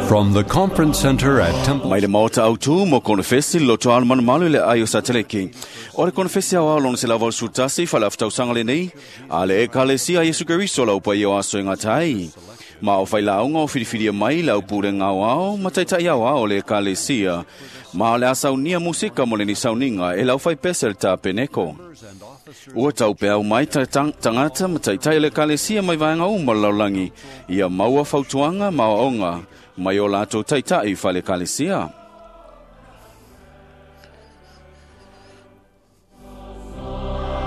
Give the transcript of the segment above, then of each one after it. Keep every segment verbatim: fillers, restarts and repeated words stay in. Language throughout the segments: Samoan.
From the conference center at Temple Mai le maota au tu mo konofesi loto alu malumalu le ai o sateleki. O le konofesi au au lona se lava o sutasi whala aftausanga le nei, a le ekalesia Yesu Keriso lau pa i o aso e ngatai. Ma o whai launga o whiriwhiria mai lau pure ngau ao, ma taitai au ao le ekalesia. Ma le asaunia musika mo le ni sauninga e lau whai pesel ta peneko. Ua tau peau mai ta tang, tangata ma taitai le ekalesia mai vaenga uma laulangi. Ia maua fautuanga ma onga mai o lato taitai whale ekalesia.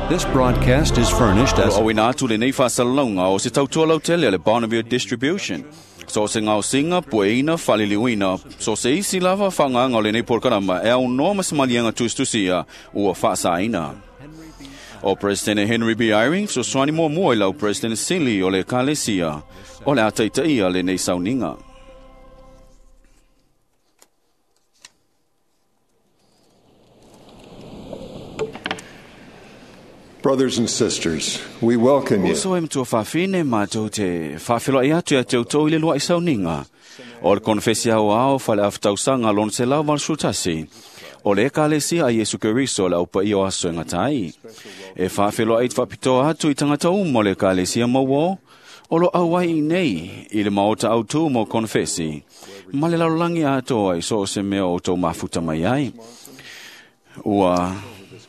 This broadcast is furnished as O ina atu le nei whaasalaunga o se tautua lautele le Bonneville Distribution. So se ngau singa, pueina, whaliliuina, so se isi lava whanganga o le nei porkarama e au noa masimalianga tustusia ua whaasaina. O President Henry B. Eyring, so swani mua mua i lau President Sili o le Kalesia, o le ataitaia le nei sauninga. Brothers and sisters, we welcome you. Uso e matua whawhine mātou te whawhilo i atu ia te uto i le lua i sauninga. O le konfesi au ao whale awhitausanga lon se lau sutasi. O le ekalesia a Yesu Keriso le aupa i o aso e ngatai. E whawhilo ai te whapitoa atu i tangata umo le ekalesia mauo. O lo au ai nei i le maota au tū mo konfesi. Ma le larolangi atoa i so o se mea o tō mafuta mai ai. Ua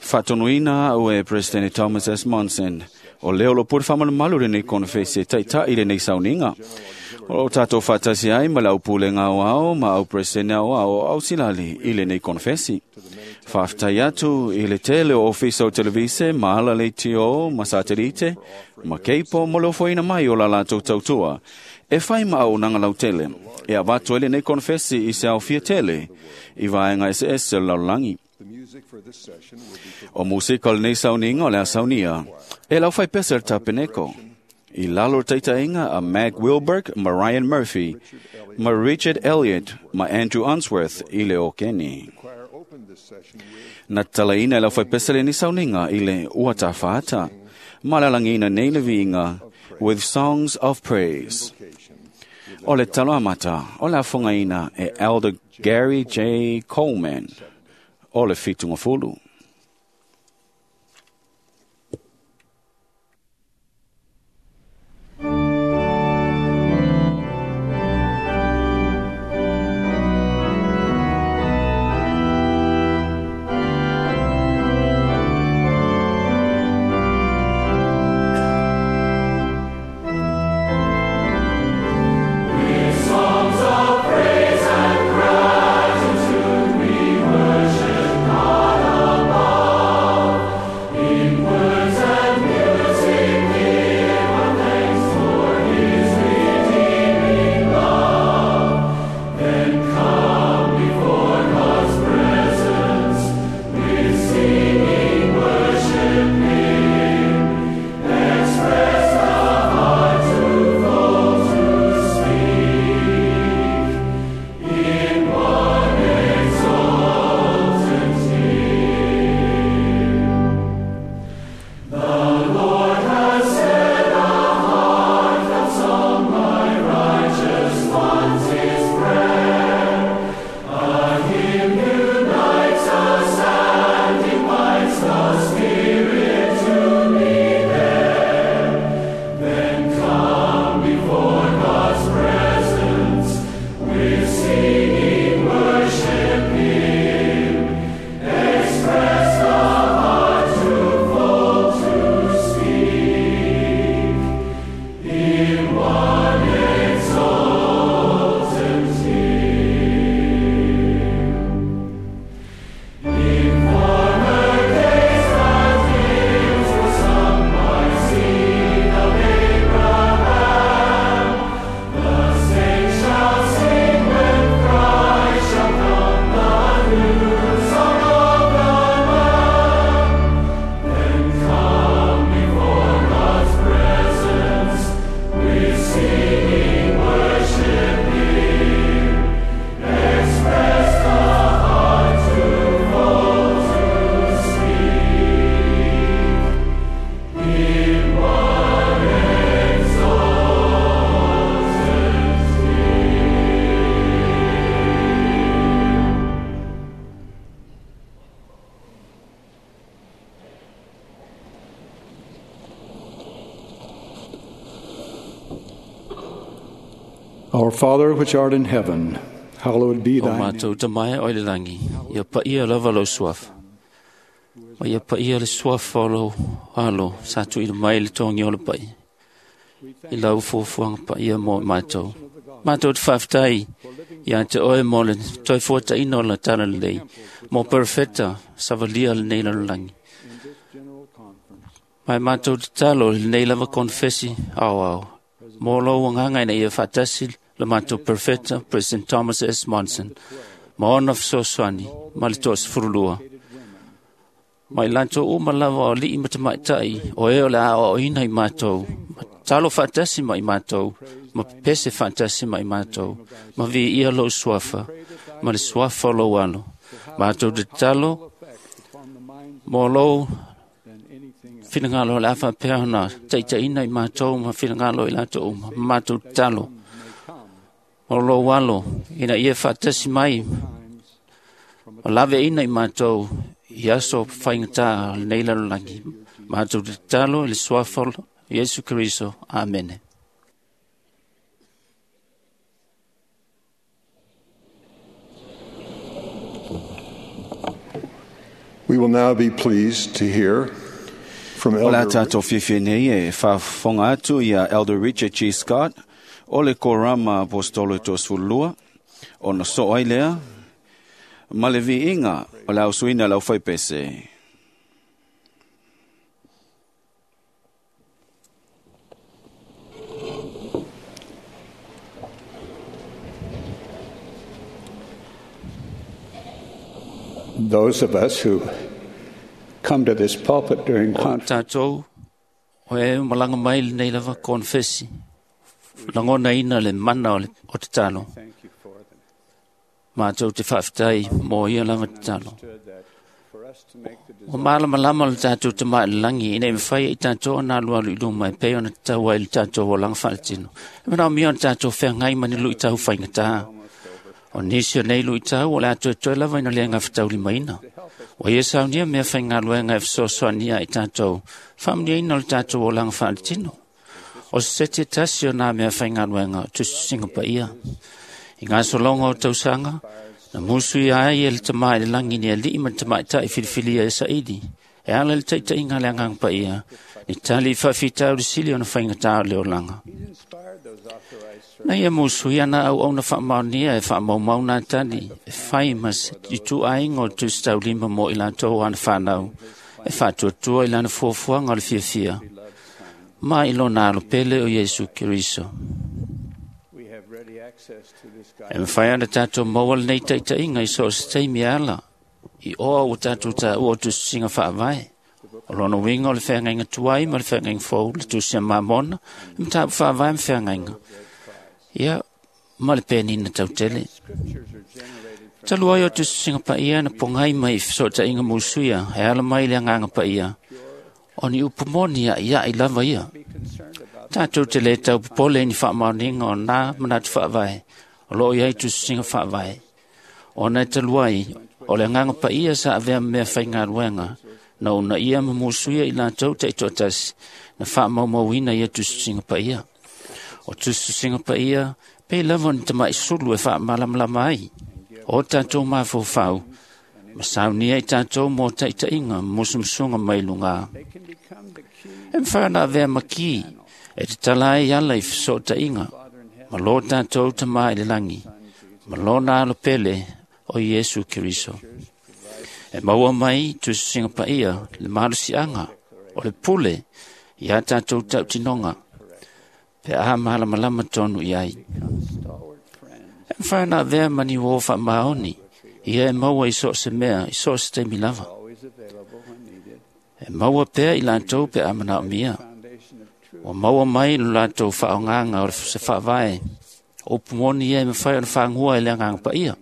whatonuina au e President Thomas S. Monson. O leo lo puri whamalamalu le nei konfesi e taitai le nei sauninga. O tātou whatasi ai ma lau pule ngau ao ma au President au ao au silali i le nei konfesi. Whaftai atu i le tele o ofisa o televise ma ala le tio ma satelite ma keipo mo le ofoina mai o la latou tautua. E whai ma au nanga lau tele. E avato ele nei konfesi i se au fia tele. I vaenga S S laulangi. O musika o lenei sauninga o le asaunia. E lau whai pesa le tapeneko. I lalo taitainga a Mag Wilberg ma Ryan Murphy, ma Richard Elliott, ma Andrew Unsworth i le Okeni. Na talaina e lau whai pesa lenei sauninga i le uatawhata. Ma lalangina nei le viinga with songs of praise. O le talo amata, o le afongaina e Elder Gary J. Coleman. O le fitunga fulu. Songs of praise and gratitude, we worship God. Our Father which art in heaven, hallowed be O thy name. mātou tamae o le langi, ia paia lava lau suafa. Ma ia paia le suafa o lau alo, sa tuuina mai le togi o le pai. I lau fuafuaga paia mo i mātou. Mātou te faafetai ia te oe mo le toe fuataina o le tala lelei, mo perofeta savalia lenei lalolagi. Mai mātou tatalo i lenei lava konefesi aoao, mo lou agaga ina ia faatasi le matou perofeta President Thomas S. Monson, ma ona fesoasoani ma le toasefululua. Ma i latou uma lava o alii ma tamaitai o e o le aoaoina i matou, ma talo faatasi ma i matou, ma pepese faatasi ma i matou, ma viia lou suafa, ma le suafa o lou alo. Matou tatalo mo lou finagalo o le a faapea ona taitaiina i matou ma finagalo i latou uma, ma matou tatalo o lou alo ina ia faatasi mai ma laveaiina i matou i aso faigata o lenei lalolagi. Matou tatalo i le suafa o Iesu Keriso. Amene. We will now be pleased to hear from O la Elder tātou fiafia nei e faafofoga atu ia Elder Richard G. Scott o le Korama Apostolo Toasefululua, ona soo ai lea ma le viiga o le ausuina o le aufaipese. Those of us who come to this pulpit during O conference tātou o e malaga mai lenei lava konefesi, lagonaina le mana o le o tatalo. Mātou te faafetai mo ia lava tatalo. O malamalama le tātou tama i le lagi, ina ia mafai ai tātou ona alualu i luma e pei ona tatau ai le tātou olaga faaletino. E manaomia ona tātou feagai ma ni luitau faigata. O nisi o nei luitau o le a toetoe lava ina le gafataulimaina. Ua ia saunia mea faigaluega e fesoasoania i tātou, faamanuiaina o le tātou olaga faaletino. O se seti e tasi o nā mea faigaluega o tusitusiga paia. I ngā sologa o tausaga, na musu ia ai e le tama i le lagi ni alii ma le tamaitai filifilia e saili. E ala i le taitaiga a le agaga paia, ni tali i faafitauli sili ona faigata o le olaga. Na ia musu ia na auauna faamaonia e faamaumau nā tali, e fai ma se ituaiga o le tusitaulima mo i latou ana fanau, e faatuatua i lana fuafuaga o le fiafia, ma i lona alo pele o Iesu Keriso. E mafai ona tātou maua lenei taitaiga i so o se taimi e ala, i oa ua tātou taua o tusitusiga faavae. O lona uiga o le feagaiga tuai ma le feagaiga fou, le tusi a Mamona, le mataupu faavae ma feagaiga. Ia, ma le penina tautele. Talu ai o tusitusiga paia na pogai mai i fesootaiga musuia, e ala mai le agaga paia, o ni upu moni a'ia'i lava ia. Tātou te le tau popole i ni faamaoniga o nā manatu faavae, o loo i ai tusitusiga faavae. Ona e talu ai, o le agaga paia sa avea ma mea faigaluega, na uunaia ma musuia i latou taitoatasi, na faamaumauina ia tusitusiga paia. O tusitusiga paia, pei lava o ni tama'i sulu e faamalamalama ai. O tātou mafaufau, ma saunia i tātou mo taitaiga ma musumusuga mai lugā. E mafai ona avea ma ki, e tatala ai ala i fesootaiga, ma lo tātou tama i le lagi, ma lona alo pele o Iesu Keriso. E maua mai tusitusiga paia le malosiaga o le pule ia tātou tautinoga, pe a malamalama tonu i ai. E mafai ona avea ma ni uō faamaoni, ia e maua i so o se mea, i so o se taimi lava. E maua pea i latou pe a manaomia. Ua maua mai lo latou faaaogaga o se faavae, o upu moni ia e mafai ona fagua e le agaga paia.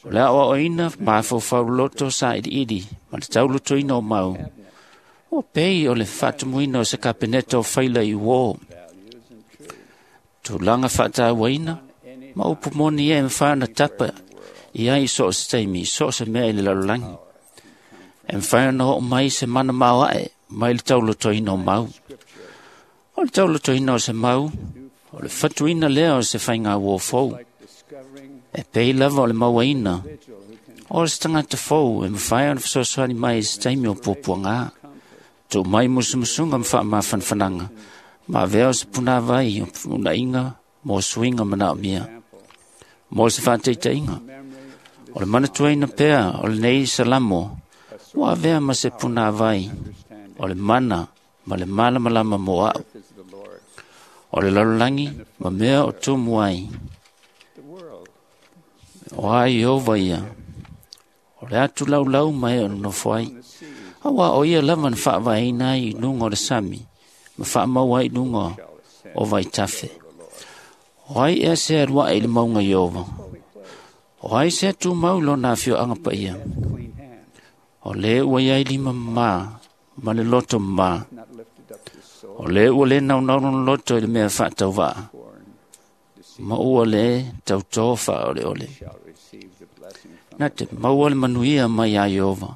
O le aoaoina mafaufau loto sailiili ma le taulotoina o mau. Ua pei o le faatumuina o se kapeneta o faila i uō. Tulaga faatauaina ma upu moni ia e mafai ona tapa i ai i so o se taimi, i so o se mea i le lalolagi. E mafai ona oo mai se mana maoae mai le taulotoina o mau. O le taulotoina o se mau, O le fatuina lea o se faiga uo fou. E pei lava o le mauaina o se tagata fou e mafai ona fesoasoani mai i se taimi o puapuaga. Tuu mai musumusuga ma faamafanafanaga ma avea o se punāvai o unaiga mo suiga manaomia. Mo se faataitaiga, o le manatuaina pea o lenei Salamo ua avea ma se punāvai o le mana ma le malamalama mo a'u. O le lalolagi ma mea o tumu ai, o a Ieova ia, o le atu laulau ma e o nonofo ai. Auā o ia lava na faavaeina ai i luga o le sami ma faamau ai i luga o vaitafe. O ai ea se alu aʻe i le mauga Ieova? O ai se tumau i lona afioaga paia? O lē ua iai lima mamā ma le loto mamā. O lē ua lē naunau lona loto i le mea faatauvaa, ma ua lē tautō faaoleole. Na te maua le manuia mai iā Ieova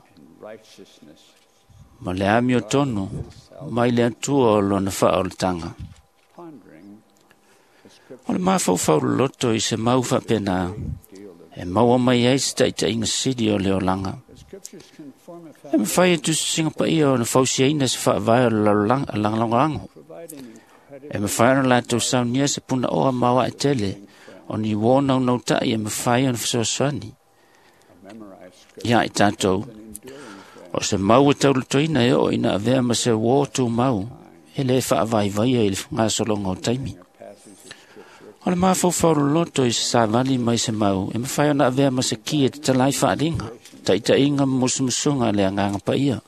ma le amiotonu mai le Atua o lona faaolataga. O le mafaufau loloto i se mau faapenā e maua mai ai se taitaiga sili o le olaga. E mafai e tusitusiga paia ona fausiaina se faavae o le lalolagi. E mafai ona latou saunia se punaoa maoae tele o ni uō naunautai e mafai ona fesoasoani iā i tatou. O se mau e taulatoina e oo ina avea ma se uō tumau e lē faavaivaia i le gasologa o taimi. O le mafaufau loloto i se savali mai se mau e mafai ona avea ma se ki e tatala ai faaliga, taitaiga ma musumusuga a le Agaga Paia.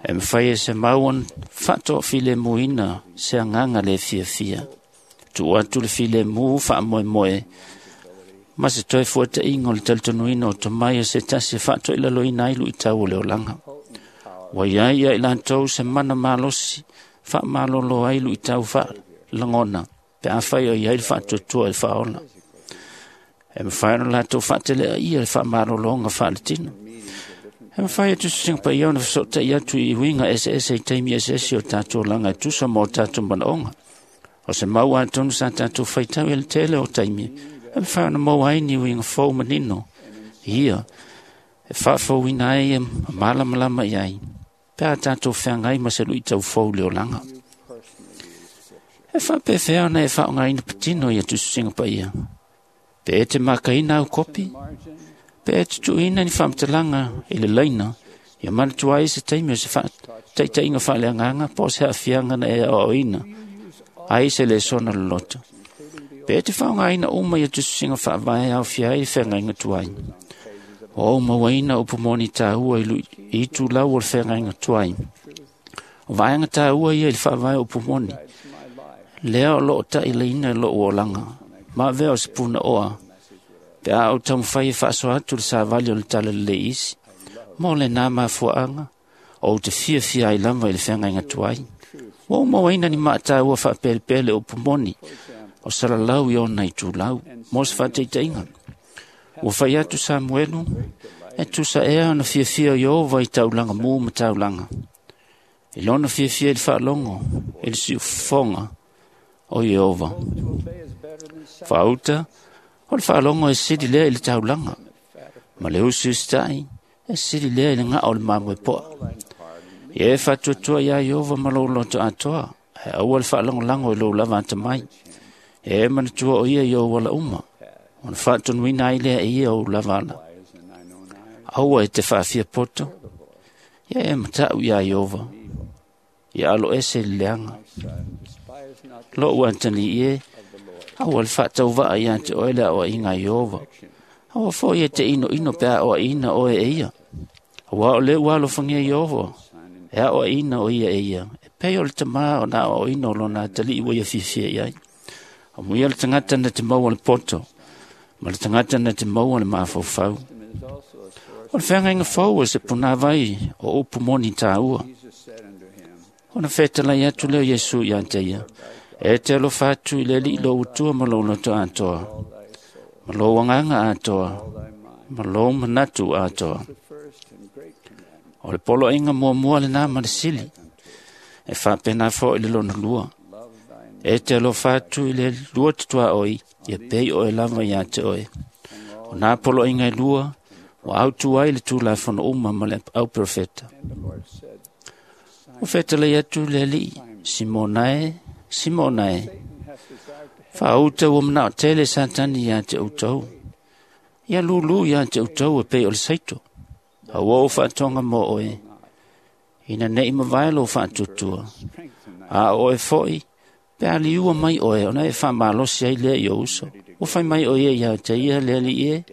E mafai e se mau ona faatoafilemuina se agaga lē fiafia. Tuu atu le filemu faamoemoe ma se toe fuataʻiga o le talitonuina o tomai o se tasi e faatoilaloina ai luʻitau o le olaga. Ua iai ia i latou se mana malosi faamalōlō ai luʻitau faalagona pe afai o iai le faatuatua i le faaola. E mafai ona latou faateleʻaia le faamalōlōga faaletino. E mafai e tusitusiga paia ona fesootaʻi atu i uiga eseese i taimi eseese o tatou olaga e tusa ma o tatou manaoga. O se mau atonu sa tatou faitau i le tele o taimi e mafai ona maua ai ni uiga fou manino ia e faafouina ai e malamalama i ai pe a tatou feagai ma se luʻitau fou i le olaga. E faapefea ona e faaaogaina patino ia tusitusiga paia? Pe e te makaina au kopi? Pe e te tuuina ni faamatalaga i le laina ia manatua ai se taimi o se faataitaiga faaleagaga po o se aafiaga na e aoaoina ai se lesona loloto? Pe e te faaaogaina uma ia tusitusiga faavae aofia ai le feagaiga tuai? O ou mauaina upu moni tāua i itulau o le feagaiga tuai. O vaega tāua ia i le faavae o upu moni, lea o loo taʻilaina i loʻu olaga, ma avea o se punaoa, pe a ou taumafai e faasoa atu le savali o le talalelei isi. Mo lenā mafuaaga, ou te fiafia ai lava i le feagaiga tuai. Ua ou mauaina ni maataua faapelepele o upu moni o salalau i ona itulau, mo se faataitaiga. Ua fai atu Samuelu, e tusa ea ona fiafia o Ieova i taulaga mū ma taulaga. I lona fiafia i le faalogo i le siufofoga o Ieova. Faauta, o le faalogo e sili lea i le taulaga, ma le usiusitaʻi e sili lea i le gaʻa o le mamoe poa. Ia e faatuatua iā Ieova ma lou loto atoa, ae aua le faalagolago i lou lava atamai. E manatua o ia i ou ala uma, ona faatonuina ai lea e ia ou lava ala. Aua e te faafia poto, ia e mataʻu iā Ieova, ia alo ese i le leaga. Loʻu atalii e, aua le faatauvaa iā te oe le aʻoaʻiga a Ieova. Aua foʻi e te inoino pe a aʻoaʻina oe e ia. Auā o lē ua alofagia Ieova, e aʻoaʻina o ia e ia, e pei o le tamā ona aʻoaʻoina o lona atalii ua ia fiafia i ai. Amuia le tagata na te maua le poto, ma le tagata na te maua le mafaufau. O le feagaiga fou o se punāvai o upu moni tāua. Ona fetalai atu lea o Iesu iā te ia, e te alofa atu i le Alii lou Atua ma lou loto atoa, ma lou agaga atoa, ma lou manatu atoa. O le poloaiga muamua lenā ma le sili, e faapena foʻi le lona lua. E te alofa atu i le lua te tuaoi, ia pei oe lava ia te oe. O nā poloaiga e lua, ua autu ai le Tulafono uma ma le au profeta. Ua fetalai atu le Alii, Simona e, Simona e, faauta ua manao tele Satani ia te outou. Ia lulu ia te outou e pei o le saito. A ua ou faatoga mo oe, ina nei mavae lou faatuatua. A o oe foi, pe a liua mai oe, ona e faamalosi ai lea i ou uso. Ua fai mai o ia ia te ia le Alii e,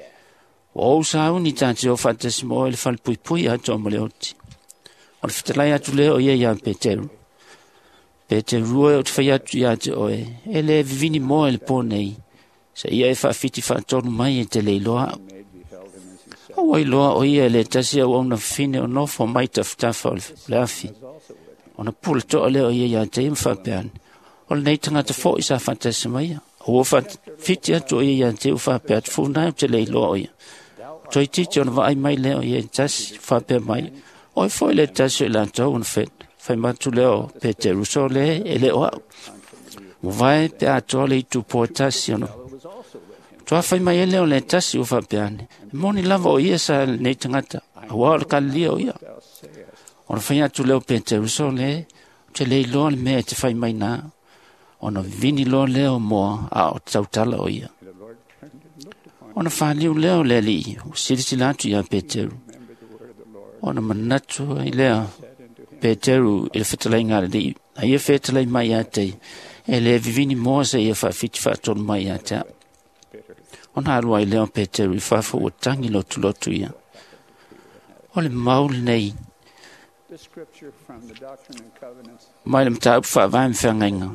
ua ou sauni tā te o faatasi mo oe le falepuipui atoa ma le oti. O le fetalai atu lea o ia ia Peteru. Peteru e o te fai atu ia te oe, e le vivini moa i le pō nei, sa ia e faafiti faatolu mai e te leiloa au. Aua iloa o ia e le tasi au auna fine o nofo mai tafatafa o le afi. Ona pula toa lea o ia ia te ia ma faapea ane. O lenei tagata foi sa faatasi mai ia. Ua faafiti atu o ia ia te ia faapea atu funai o te leiloa o ia. Toeitiiti ona vaai mai lea o ia i tasi faapea mai. Oe foi le tasi o i latou ona fai matu lea o Peteru so le e le o au. Ua vae pe atoa le itu po tasi ona. Toa fai mai ele o le tasi ua faapea ane. E moni lava o ia sa lenei tagata. Aua o le Kalilia o ia. Ona fai atu lea o Peteru so le te leiloa le mea e te fai mai nā. Ona vivini loa lea o moa a o tautala o ia. Ona whaliu lea o le Alii, o silasila atu ia Peteru. Ona manatu ai lea Peteru i le fetalaiga a le Alii. A ia fetalai mai ia te, e le vivini moa se ia faafiti faatolu mai ia te au. Ona alu ai lea o Peteru i fafo ua tangi lotulotu ia. O le mau lenei mai le mataupu faavae ma feagaiga.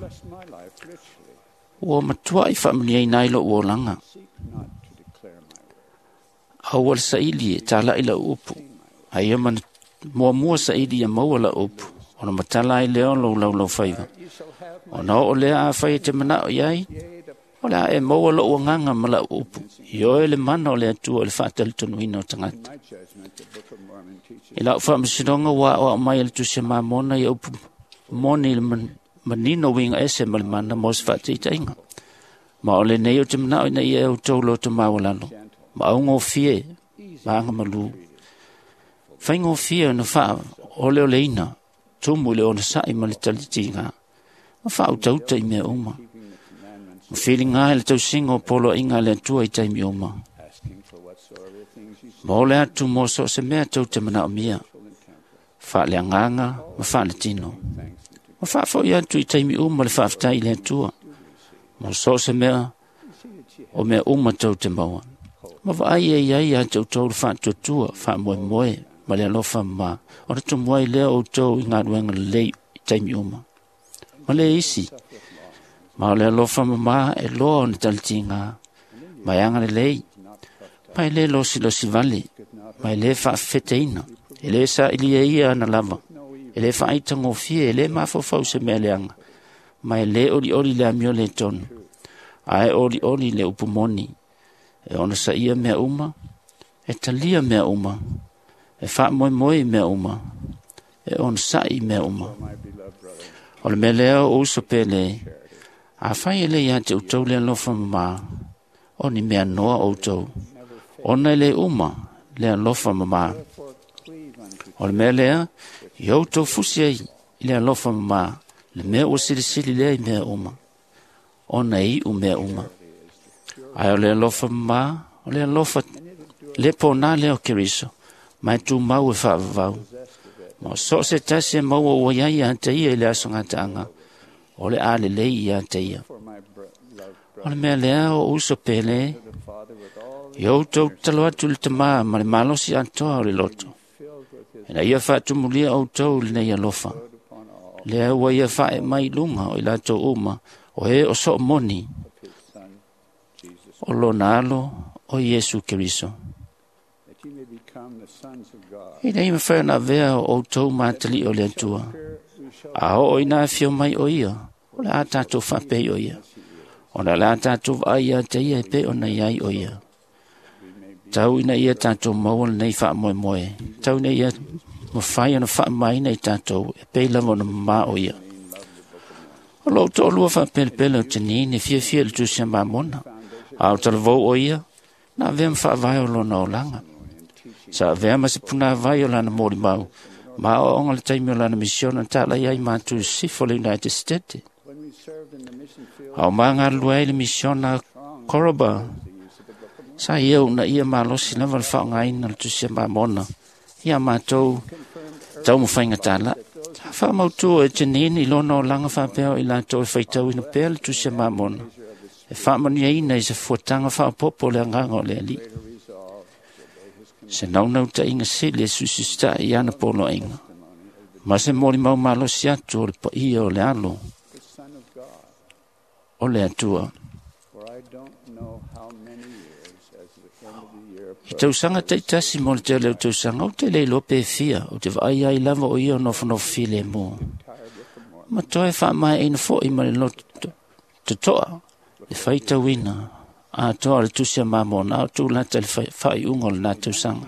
Ua matuai faamanuiaina ai lou olaga. Aua le saili e talai lau upu. A ia muamua saili ia maua lau upu. Ona matala ai lea o lou laulaufaiva. Ona oo lea a fai e te manao i ai, o le a e maua lou agaga ma lau upu. I oe le mana o le Atua i le faatalitonuina o tagata. I lau faamasinoga ua aoao mai e le Tusi a Mamona ia upu moni i le manino uiga ese ma le mana mo se faataitaiga. Ma o lenei o te manao ina ia e outou loto maualalo, ma augofie ma agamalu. Faigofie ona faaoleoleina, tumu i le onosai ma le talitiga, ma faautauta i mea uma. Ma filiga i le tausiga o poloaiga a le Atua i taimi uma. Ma ole atu mo so o se mea tou te manaomia, faaleagaga ma faaletino. Ma faafoi atu i taimi uma le faafetai i le Atua, mo so o se mea o mea uma tou te maua. Ma vaai e iai ia te outou le faatuatua, faamoemoe ma le alofa ma, ona tumu ai lea outou i galuega lelei i taimi uma. Ma le isi, ma o le alofa mamā e loa ona talitiga, ma e agalelei, ma e le losilosi vale, ma e le faafefeteina, e le sailia ia ana lava, e le faaitagofie, e le mafaufau se mea leaga, ma e le olioli le amio le tonu, ae olioli le upu moni, e onosaia mea uma, e talia mea uma, e faamoemoe i mea uma, e onosai i mea uma. O le mea lea o uso pele, a fai e le ia te outou le alofa mamā, o ni mea noa outou, ona e le uma le alofa mamā. O le mea lea, i outou fusi ai i le alofa mamā, le mea ua silisili lea i mea uma, ona e iu mea uma. Ae o le alofa mamā, o le alofa le pōnā lea o Keriso, ma e tumau e faavavau. Ma o so o se tasi e maua ua iai ia te ia i le aso gataaga, o le a lelei ia te ia. O le mea lea o uso pele, i outou tatalo atu i le tamā ma le malosi atoa o le loto. Ina ia faatumulia outou lenei alofa. Lea ua ia fae mai lunga o i latou uma, o e o soo moni, o lona alo o Iesu Keriso. Ina ia mawhai ona avea o outou mātali o le Atua. A oo ina afio mai o ia, o le a tātou faapei o ia. Ona le a tātou vaai ia te ia e pe ona iai o ia. Tau ina ia tātou maua lenei faamoemoe. Tau ina ia mawhai ona faamaina i tātou e pei lava ona mamā o ia. O lou toʻalua faapelepele o Janine e fiafia i le Tusi a Mamona, a o talavou o ia, na avea ma faavae o lona olaga. Sa avea ma se punāvai o lana molimau, ma aoaoga le taimi o lana misiona na talai ai matou i sisifo o le United States. A o magalulue ai le misiona a Koroba, sa ia uunaia malosi lava le faaaogaina o le Tusi a Mamona ia matou taumafaiga talaʻi. Sa faamautu e Janine i lona olaga faapea o i latou e faitauina pea le Tusi a Mamona e faamanuiaina i se fuataga faaopoopo o le agaga o le Alii. Se naunautaiga sili e suisusitaʻi i ana poloaiga ma se molimau malosi atu o le paia o le alo o le Atua. I tausaga taitasi mo le tele o tausaga, ou te le iloa pe fia, ou te vaai ai lava o ia o nofonofo filemu. Ma toe faamaeaina foʻi ma le loto totoa le faitauina atoa o le Tusi a Mamona a o tulata i le faaiuga o lena tausaga.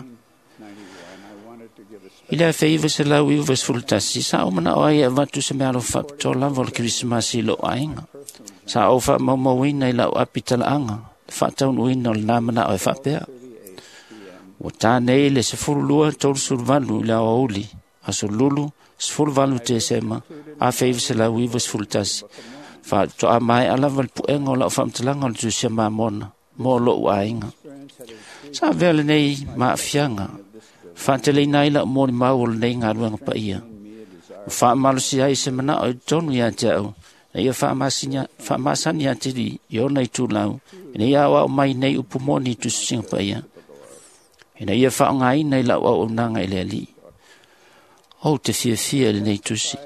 I le afe iva selau iva sefulu tasi, sa ou manao ai e avatu se meaalofa faapitoa lava o le Kerisimasi i lou aiga. Sa ou faamaumauina i lau api talaaga le faataunuuina o lena manao e faapea. Ua ta nei le sefulu lua tolusefulu valu i le aoauli, aso Lulu, sefulu valu Tesema, afe iva selau iva sefulu tasi. Faatoa maea lava le puega o lau faamatalaga o le Tusi a Mamona mo lou aiga. Sa avea lenei maafiaga faateleina ai lau molimau o lenei galuega paia. Ua faamalosi ai se manao i totonu ia te au, ina ia faamasani atili i ona itulau, ina ia aoao mai nei upu moni i tusitusiga paia, ina ia faaaogaina i lau auaunaga i le Alii. Ou te fiafia i lenei tusi.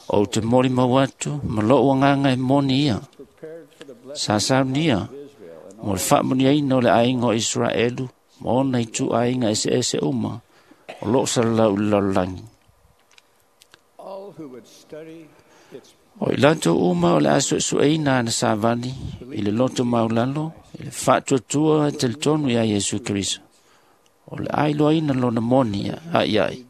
Ou te molimau atu ma lou agaga e moni ia. Sa saunia mo le faamanuiaina o le aiga o Isaraelu ma ona ituaiga eseese uma o loo salalau i le lalolagi. O i latou uma o le a suesueina ana savali i le loto maulalo i le faatuatua e talitonu ia Iesu Keriso. O le a iloaina lona moni aiai,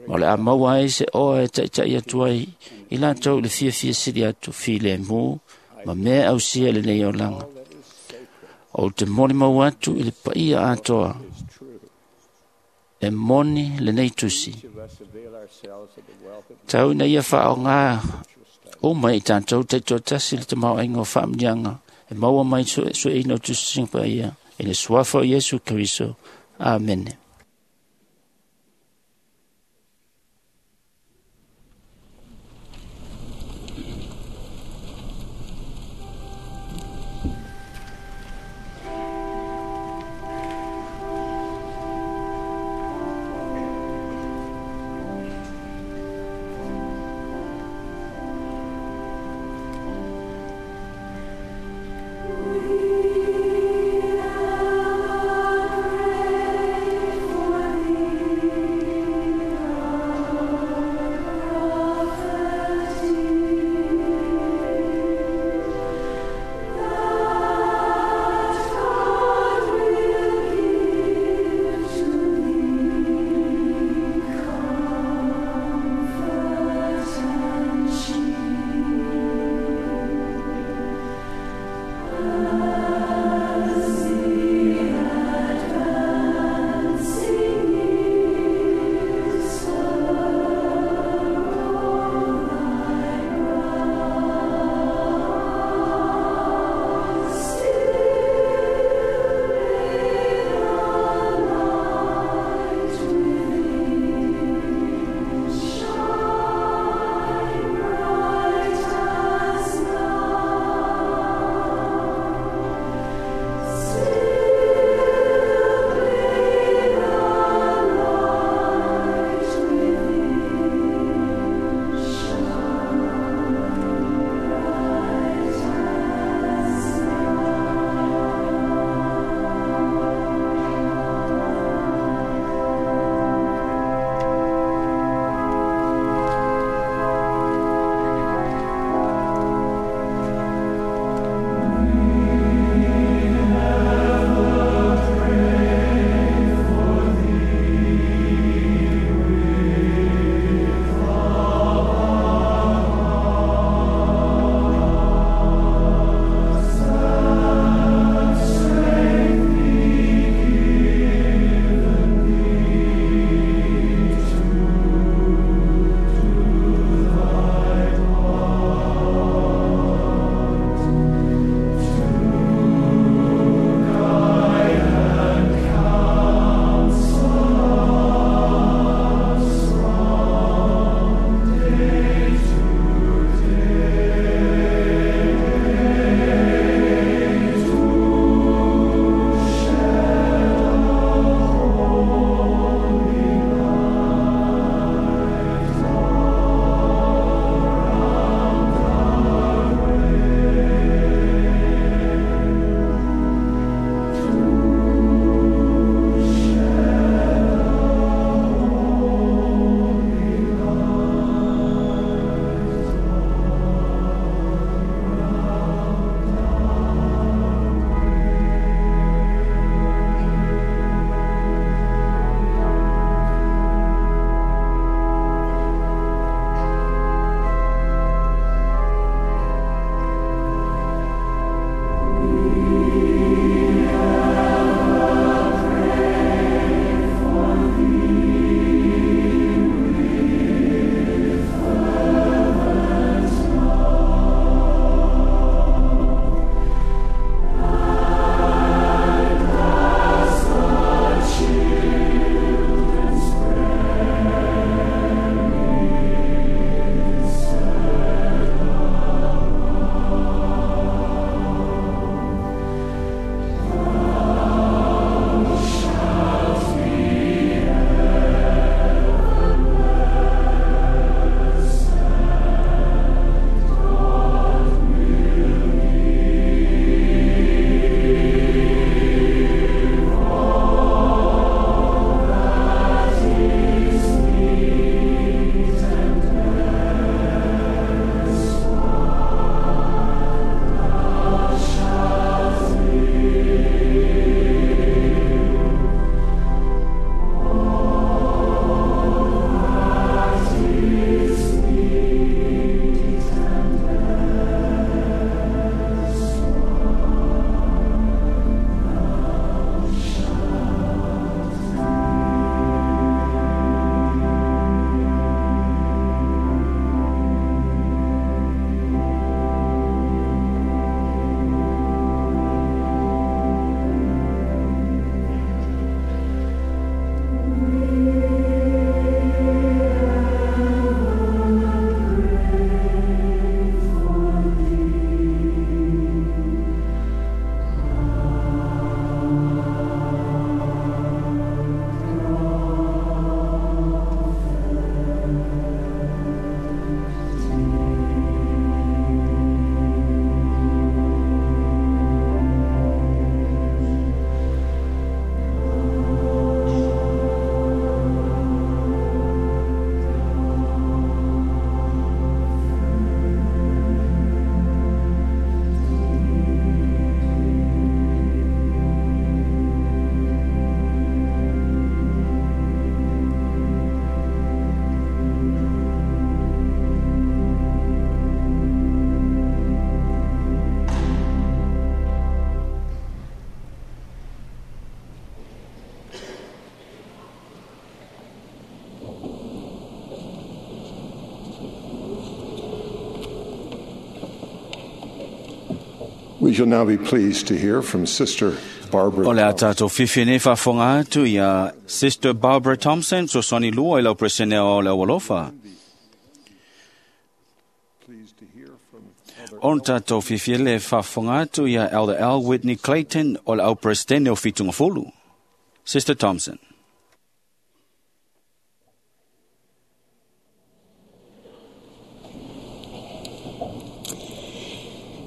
ma o le a maua ai se oa e taʻitaʻi atu ai i latou i le fiafia sili atu filemu ma mea ausia i lenei olaga. Ou te molimau atu i le paia atoa e moni lenei tusi. Tau ina ia faaaoga uma i tatou taitoatasi le tamaoaiga o faamanuiaga e maua mai suesueina o tusitusiga paia i le suafa o Iesu Keriso. Amene. We We shall now be pleased to hear from Sister Barbara O le a Thompson. tātou fifi nei whawhonga atu ia Sister Barbara Thompson, so soni lua i lau presene o le awalofa. Pleased to hear from Elder O tātou fifi le whawhonga atu ia Elder L. Whitney Clayton o le au presidente o Fitungafulu. Sister Thompson.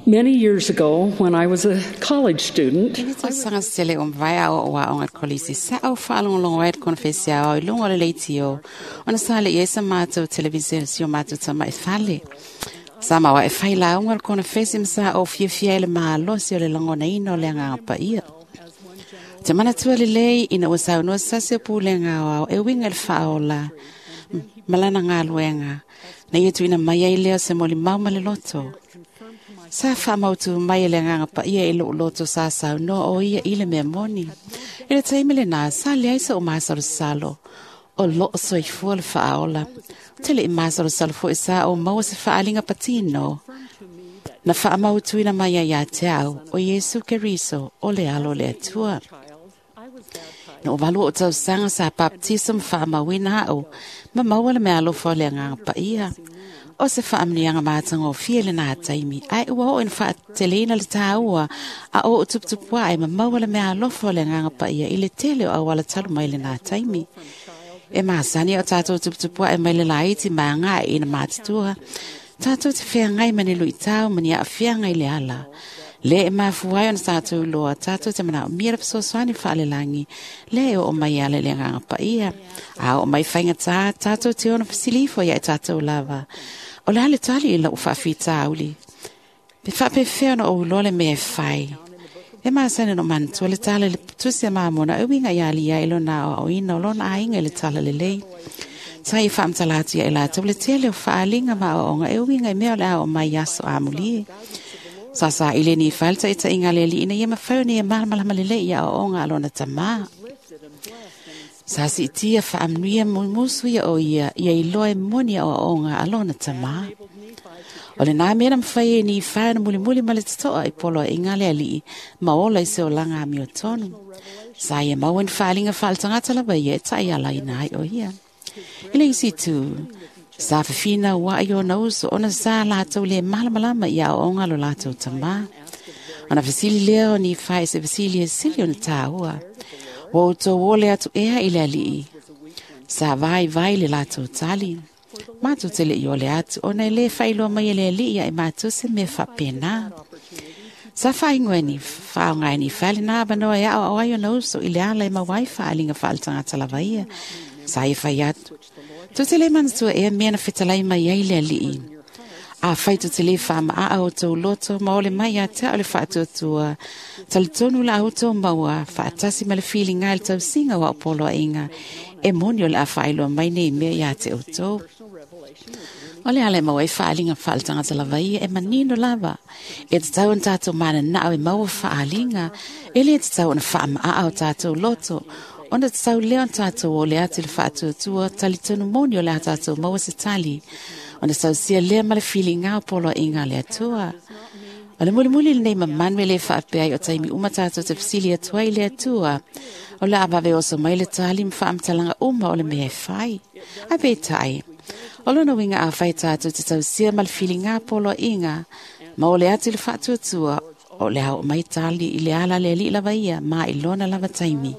Many years ago, when I was a college student, Ina tausaga sele o mavae a o a onga kolisi sa au whaalongolongo e konfesi a o i lunga o le leiti o. Ona sa le ia sa mātou televisen si o mātou tama e fale. Sa maua e whai la unga le konfesi msa o fiafia i le maalosi o le langona ina o le anganga pa ia. Te mana tua le lei ina ua saunua sasi o pūlenga o au e winga le whaola. Malana ngā luenga. Na ia tuina mai ai leo se moli mau ma le loto. Sa whamautu mai le nganga pa ia i loo loto sa sau no o ia i le mea moni. I le taimi le nā, sa leai sa o masalo salo. O loo soifua le whaaola. Tele i masalo salo fo i sa o maua se whaalinga patino. Na whaamautuina mai ai ia te au o Yesu Keriso o le alo le atua. No walu o tausaga sa baptism whaamauina au, ma maua le mea alofa o le anganga pa ia. O se whaamnianga mātanga o fia le nā taimi, ai ua o ina whaateleina le tāua, a o o tuputupua ai ma maua le mea alofa o le anganga pa ia i le tele o awala talu mai le nā taimi. E māsani o tātou tuputupua e mai le laiti maa ngā ina mātutua. Tātou te whiangai mani lui tau mani a whiangai le ala. Le e mafuai ona tātou loa, tātou te mana o mira whasoswani whaalelangi, le e o mai ala le nganga pa ia. A o mai whainga tā, tātou te ona whasilifo ia e tātou lava. O le ale tali i lau whaawhita auli. Pe whapewhea ona o uloa le mea e whai. E māsane no mantua le tala le tusi a māmona, e winga i ali ia i lona o oina o lona ainga i le tala le lei. Sai whaamtala atu ia i lātou le tele o whaalinga ma o onga e winga i mea o le ao mai aso amulie. Sa sa ile ni falta ita inga le li ina ia mawhau ni e malamalama le le ia o onga alona tamā. Sa si tia whaamnuia mumusu ia o ia, ia i loe moni o onga alona tamā. O le nā mea mwhai e ni whae na muli muli ma le tatoa i polo e inga le alii, ma ola i se o langa ami o tonu. Sa ia mauen whaalinga whaaltangata lawa ia e tai ala ina ai o ia. Ile isi tu, sa whawhina wa i ona uso, ona sa lātou le malamalama i a onga lo lātou tamā. Ona whasili leo ni whae se whasili e sili ona tāua. Wa o tō wole atu ea i le alii. Sa vai vai le lātou tali. Mātou te le i ole atu, ona e le whailoa mai e le alii ia e mātou se me whapena. Sa whaingoe ni whaongai ni whale nā wanoa e ao ai ona uso i le ala e mawai whaalinga whaaltangata lava ia. Sa e whai atu. Tu te le manatua ea mea na whitalai mai ai le alii. A whai tu te le whaama a au tō loto ma ole mai a te au le whaatuatua. Tali tonu la au tō maua, whaatasi ma le whilinga le tausinga wa opolo a inga. E moni o le a whailoa mai nei mea ia te o tō. O le ale maua e whaalinga whaaltangata lava ia e manino lava. E te tau an tātou mana nao e maua whaalinga. E le te tau an whaama a au tātou loto. Ona te tau leo tātou o le atu le whaatuatua, tali tonu moni o le a tātou maua se tali. Ona tau sia lea ma le whilinga o polo inga le atua. O le mulimuli lenei mamanu e le whaapea i o taimi uma tātou te whasili atua i le atua. O le awawe oso mai le tali ma whaamtalanga uma o le mea e whai. A pe tai. O lona winga a whai tātou te tau sia ma le whilinga polo inga. Ma o le atu le whaatuatua, o le au mai tali i le ala le li lava ia, ma i lona lava taimi.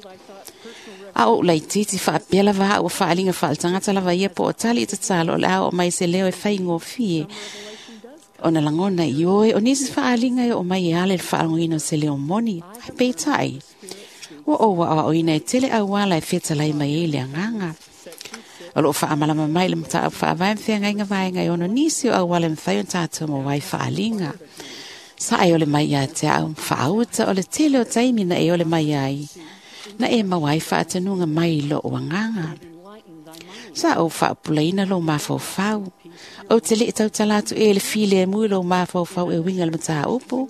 A o lai titi whaapea lava au whaalinga whaaltangata lava ia po o tali i te talo o le ao o mai se leo e whai ngōfie. O na langona i oe, o nisi whaalinga e o mai e ale le whaalongina o se leo moni, ai peitai. Ua o wa o ina e tele au ala e whetalai mai e le anganga. O loo whaamalama mai le mata au whaavae mwhea vaenga i ono nisi o au ala mwhai o tātou mo wai whaalinga. Sa ai ole mai ia te au, whaauta o le tele o taimi na e ole mai ai. Na e mawai whaatanunga mai lo o anganga. Sa o whaapulaina lo mawhauwhau. O te le tautala atu e le file e mui lo mawhauwhau e winga le mataa upu.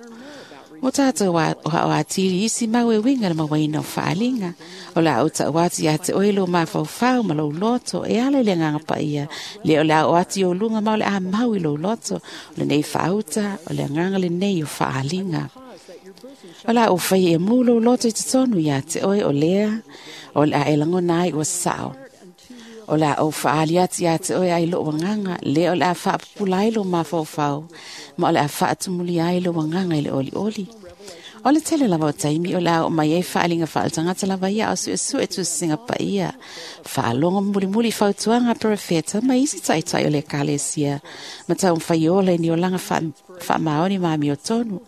O tātou o hao atiri isi mau e winga le mawaina o whaalinga. O la o tau atu ia te oe lo mawhauwhau ma lo loto e ala i le nganga pa ia. Le o la o atu o lunga mau le a mau i lo loto. O le nei whaauta, o le nganga le nei o whaalinga. O la o fai e mulo loto i totonu ia te oe o lea, o le a e langona ai ua sao. O la o whaali ati ia te oe ai lo wanganga, le o le a whaapupula ai lo mafaufau, ma o le a whaatumuli ai lo wanganga i le oli oli. O le tele lava o taimi o le a o mai ai whaalinga whaalatangata lava ia o sue sue tu singa pa ia. Whaalonga muli muli fautuanga profeta ma isi taitai o le kalesia. Ma tau mwhaiola i ni olanga whaamaoni maami o tonu.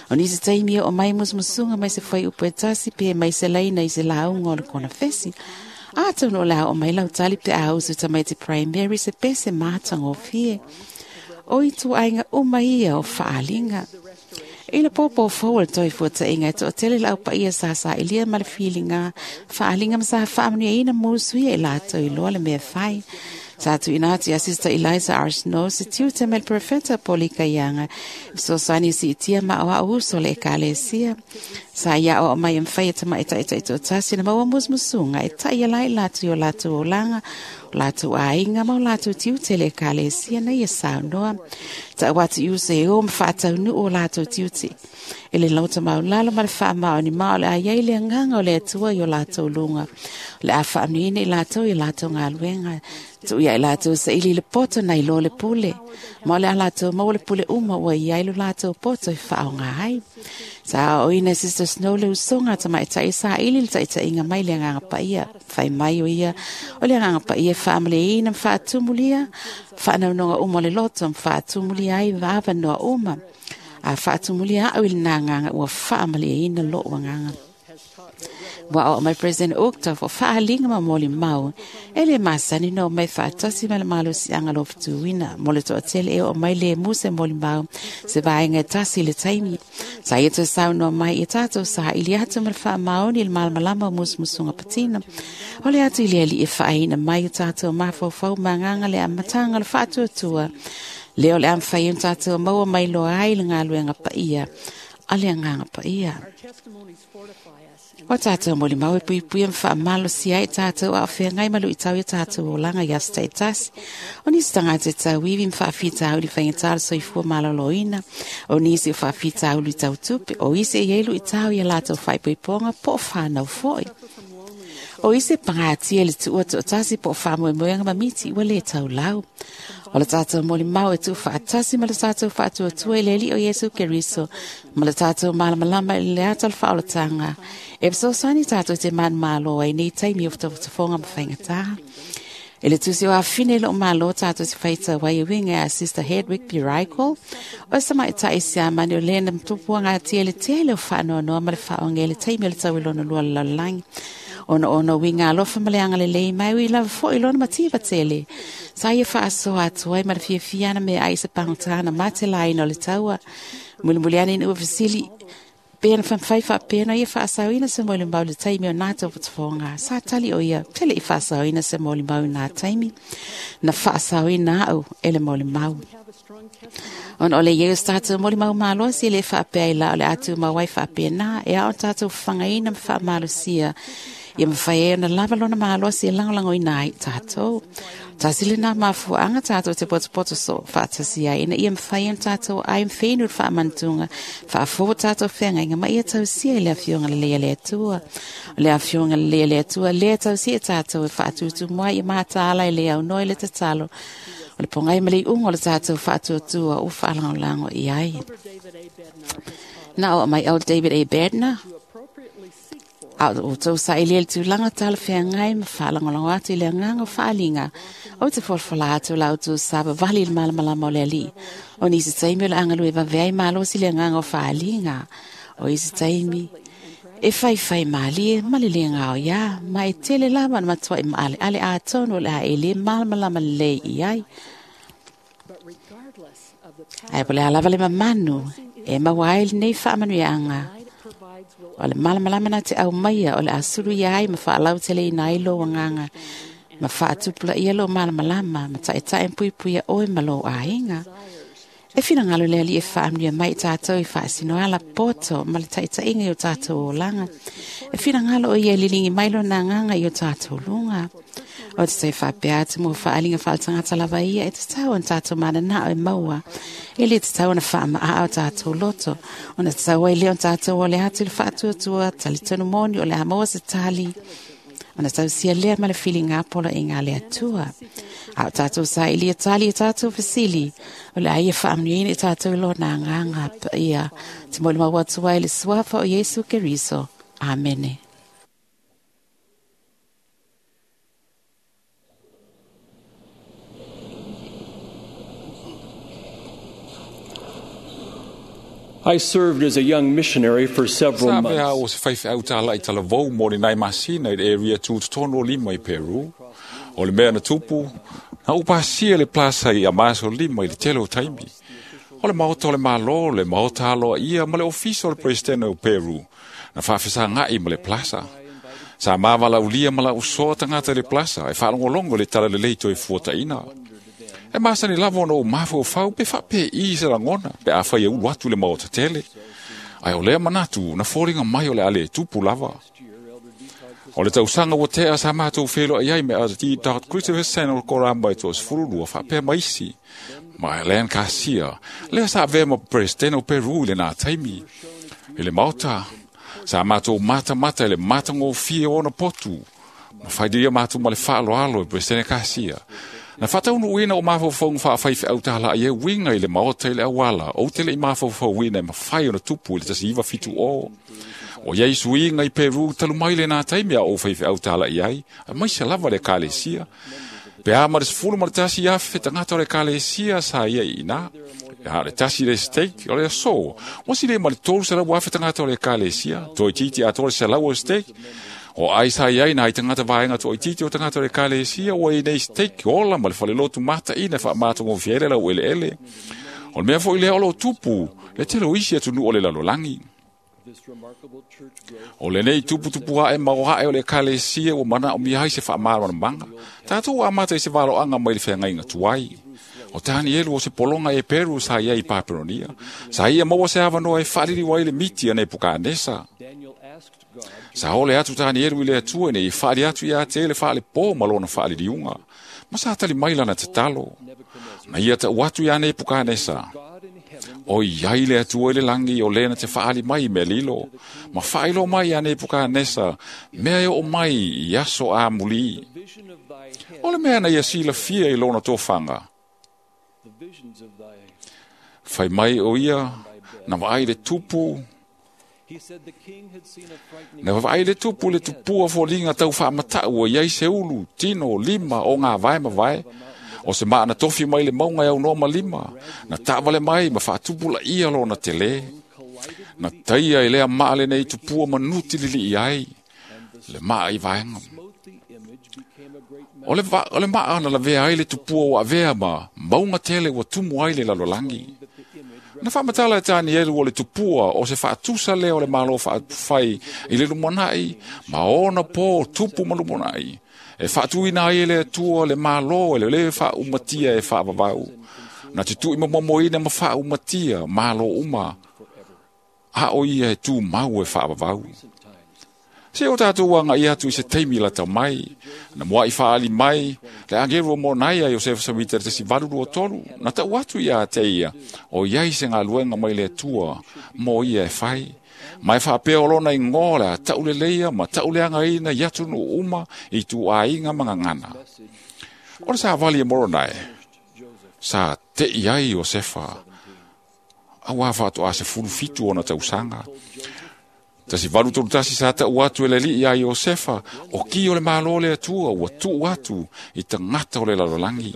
O nisi taimi o mai musmusunga mai se whai upu e tasi pe mai se laina i se launga o le kona fesi. A tonu o le a o mai lau tali pe a usu tamai te primary se pese mātanga o fie. O i tuainga uma ia o whaalinga. I le pōpō fō le toi fua ta inga to tele lau pa ia sa sa ilia ma le feelinga whaalinga ma sa whaamanu ina mūsu ia i lātou i loa le mea whai. Sa tu ina atu ia Sister Eliza Arsenault se tiu te mele profeta polika ianga. So sani si itia ma o au uso le ekalesia. Sa ia o mai mwhai e tama e tai tai tō tasi na maua musmusunga e tai ia lai lātou i o lātou o langa, o lātou ainga ma o lātou tiu te le ekalesia na ia saunoa. Ta watu i uso e o mwhaatau nu o lātou tiu te. E le lauta maulalo ma le whaamao ni mao le a iai le anganga o le atua i o lātou lunga. O le a whaamnuine i lātou i lātou ngā luenga. Tu ia i lātou sa ili le poto na i lo le pule. Ma o le a lātou mau le pule uma ua i ai lo lātou poto i whaonga ai. Sa o ina Sister Snow le usonga tama e tai sa ili le tai inga mai le nganga pa ia. Whai mai o ia. O le nganga pa ia whaamale ina mwhaatumulia. Whaanaunonga uma le loto mwhaatumulia ai wawa noa uma. A whaatumulia au i le nā nganga ua whaamale ina lo wanganga. Wa o mai President Uchtdorf o whaalinga ma moli mau. E le masani no mai whaatasi ma le malosi anga lo ftuwina. Mo le toatele e o mai le muse moli mau. Se vaenga e tasi le taimi. Sa ia te sau no mai i tātou sa ili atu ma le whaamaoni le malamalama o musmusunga patina. O le atu i le ali e whaaina mai o tātou mawhauwhau manganga le amatanga le whaatuatua. Leo le amwhai o tātou maua mai loa ai le ngā luenga pa ia. A le nganga pa ia. O tātou moli mau e pui pui mwhaamalo si ai tātou a o ngai malu i tau i tātou o langa i asta e tasi. O nisi tangata e tau iwi mwhaawhita au li whaingatara soifua maloloina. O nisi o whaawhita au li tau tupe. O isi e ielu i tau i a lātou whaipoiponga po o whānau foi. O isi pangatia le tuua to tasi po o whaamoemoenga mamiti ua le tau lau. O le tātou moli mau e tu whaatasi ma le tātou whaatuatua i le li o Yesu Keriso. Ma le tātou malamalama i le ata le whaolatanga. E fesoasoani tātou te man malo ai nei taimi o whatafonga ma whaingatāha. E le tusi o awhine lo malo tātou te whaita wai winga a Sister Hedwig P. Reichel. O sama e tai sia mani o lena mtupua ngā tia le tele o whaanoa ma le whaonge le taimi o le tau i lona lua lalalangi. Ona ona winga alofa ma le anga le lei mai ui lava fo i lona mativa tele. Sa ia whaasoa atu ai ma le fiafiana me ai se pangotana ma te laina o le taua. Mulimuliani ina ua fasili pena whamwhai whaapena ia whaasauina se moli mau le taimi o nā tau whatafonga. Sa tali o ia tele i whaasauina se moli mau nā taimi. Na whaasauina au e le moli mau. Ona o le ieu tātou moli mau maloa si le whaapea i la o le atu mawai whaapea nā e ao tātou whangaina ma whaamalosia. Ia mawhai e na lava lona maloa si e langolango i nai tātou. Tasi le nā mafuanga tātou te potopoto so whaatasi ai. Ina ia mawhai e tātou ai mwhenu whaamantunga. Whaafo tātou whenga inga ma ia tausia i le awhionga le lea le atua. O le awhionga le lea le atua le tausia tātou e whaatutu mua i mātāla i le au noi le tatalo. O le pongai ma le ungo le tātou whaatuatua o whaalangolango i ai. Nā o mai au David A. Bednar. A o tau sa ili ele tūlanga tala whengai ma whaalangolango atu i le nganga o whaalinga. O te wholwhola atu lau tū saba vali le malamalama o le ali. O nisi taimi o le angalu e waweai malosi le nganga o whaalinga. O isi taimi e whai whai malie ma le le ngao ia. Ma e tele lama na matua i maale ale a tono le a ele malamalama le i ai. Ai po le alava le mamanu e mawai le nei whaamanu i anga. O le malamalama na te au maia o le asuru ia ai ma whaalau tele i nai lo wanganga. Ma whaatupula ia lo malamalama ma tae tae pui pui oe ma lo ainga. E whina ngalo le ali e whaamnia mai tātou i whaasino ala poto ma le taitainga i o tātou o langa. E whina ngalo o ia lilingi mai lo nā nganga i o tātou lunga. O te te whapea atu mo whaalinga whaatangata lava ia e te tau an tātou mana nā o maua. E le te tau ana whaama a au tātou loto. Ona te tau ai leo tātou o le atu le whaatuatua, tali tonu moni o le amoa se tali. Ona tau sia lea ma le whilinga pola i ngā lea tua. A o tātou sa ilia tali e tātou fasili. O le aia whaamnuina i tātou lo nā ngā ngā pa ia. Te moli maua tua i le suafa o Yesu Keriso. Amene. I served as a young missionary for several Sa months. vea o se whaiwhi au tāla i tala vau mō ni nai masina i le area tūtotono lima i Peru. O le mea na tupu, na upasia le plaza i amaso lima i le tele o taimi. O le maota o le malo, le maota aloa ia ma le ofisa o le presidente o Peru. Na whaafisa ngai ma le plaza. Sa mavala ulia ma la usoa tangata i le plaza e whaalongolongo le tala le leito e fuataina. E masani lava ona o mafo fau pe whape i se rangona pe a whai e ulu atu le maota tele. Ai o lea manatu na fōringa mai o le ale tupu lava. O le tausanga o tea sa mātou whelo ai ai me a di dot Christopher Sen o koramba i tōs fururua whapea maisi. Ma e lean kasia, lea sa vea ma presidente o Peru i le nā taimi. I le maota, sa mātou mata mata i le matango fie ona potu. Ma whaidia mātou ma le whaaloalo i presidente kasia. Na whataunu uina o mawhauwhaunga whaawhaiwhi au tāla ai e winga i le maota i le awala, o tele i mawhauwhau uina e mawhai ona tupu i le tasi iwa fitu o. O iei suinga i Peru talu mai le nā taimi a o whaiwhi au tāla i ai, a maisa lava le kalesia. Pe a ma le sefulu ma le tasi afe tangata o le kalesia sa ia i ina. A le tasi le steak o le aso. Wasi le ma le tolu sa lau afe tangata o le kalesia, toi titi a tolu sa lau o steak. O ai sa iai nai tangata vaenga to titi o tangata o le kalesia o i nei steak ola ma le falelotu mata ina wha mātongo fiele lau ele ele. O le mea fo i lea olo tupu, le telo isi atu nu o le lalolangi. O le nei tupu tupu hae mau hae o le kalesia o mana o mihai se wha māro manga. Tātou a mata i se valo anga mai le whengainga tuai. O Danielu o se polonga e Peru sa ia i Paperonia. Sa ia maua se avanoa e whariri wai le miti ane Pukanesa. Sa ole atu Danielu i le atua nei i whaari atu i a te le whaale pō malona whaari riunga. Ma sa tali maila na te talo. Na ia ta uatu i ane Pukanesa. O iai le atua i le langi o lena te whaali mai me lilo. Ma whailo mai ane Pukanesa mea e o mai i aso a muli. O le mea na ia sila fia i lona tōwhanga. Whai mai o ia, na waai le tupu. Na waai le tupu le tupua fōlinga tau whaamatau o iai se ulu, tino, lima, o ngā vae ma vae. O se maa na tofi mai le maunga e au noa ma lima. Na tāwale mai ma whaatupula ia lona te le. Na taia i lea maa le nei tupua manuti lili i ai. Le maa i vaenga. O le, va, o le maa na lavea ai le tupua o avea ma maunga tele ua tumu ai le lalolangi. Na whaamatala e Danielu o le tupua o se whaatusa lea o le malo whaatufai i le lumonai, ma ona pō tupu ma lumonai. E whaatuina ai e le atua le malo e le le whaaumatia e whaavavau. Na te tui mamomoina ma whaaumatia malo uma. A o ia e tū mau e whaavavau. Se o tātou anga i atu i se teimi la tau mai, na mua i whaali mai, le angeru o mōnai a Josefa Samita te si valu o tolu, na tau atu ia a te ia, o iai se ngā luenga mai le atua, mō ia e whai. Mai whaapea o lona i ngōla, tau le leia, ma tau le anga ina i atu no uma, i tū āinga mangangana. O le sa wali e moronai, sa te iai Josefa, au a whātu a se fulufitu o na tausanga. Tasi valu tolu tasi sa tau atu e le li ia Iosefa, o ki o le malo le atua, ua tuu atu i tangata o le lalolangi.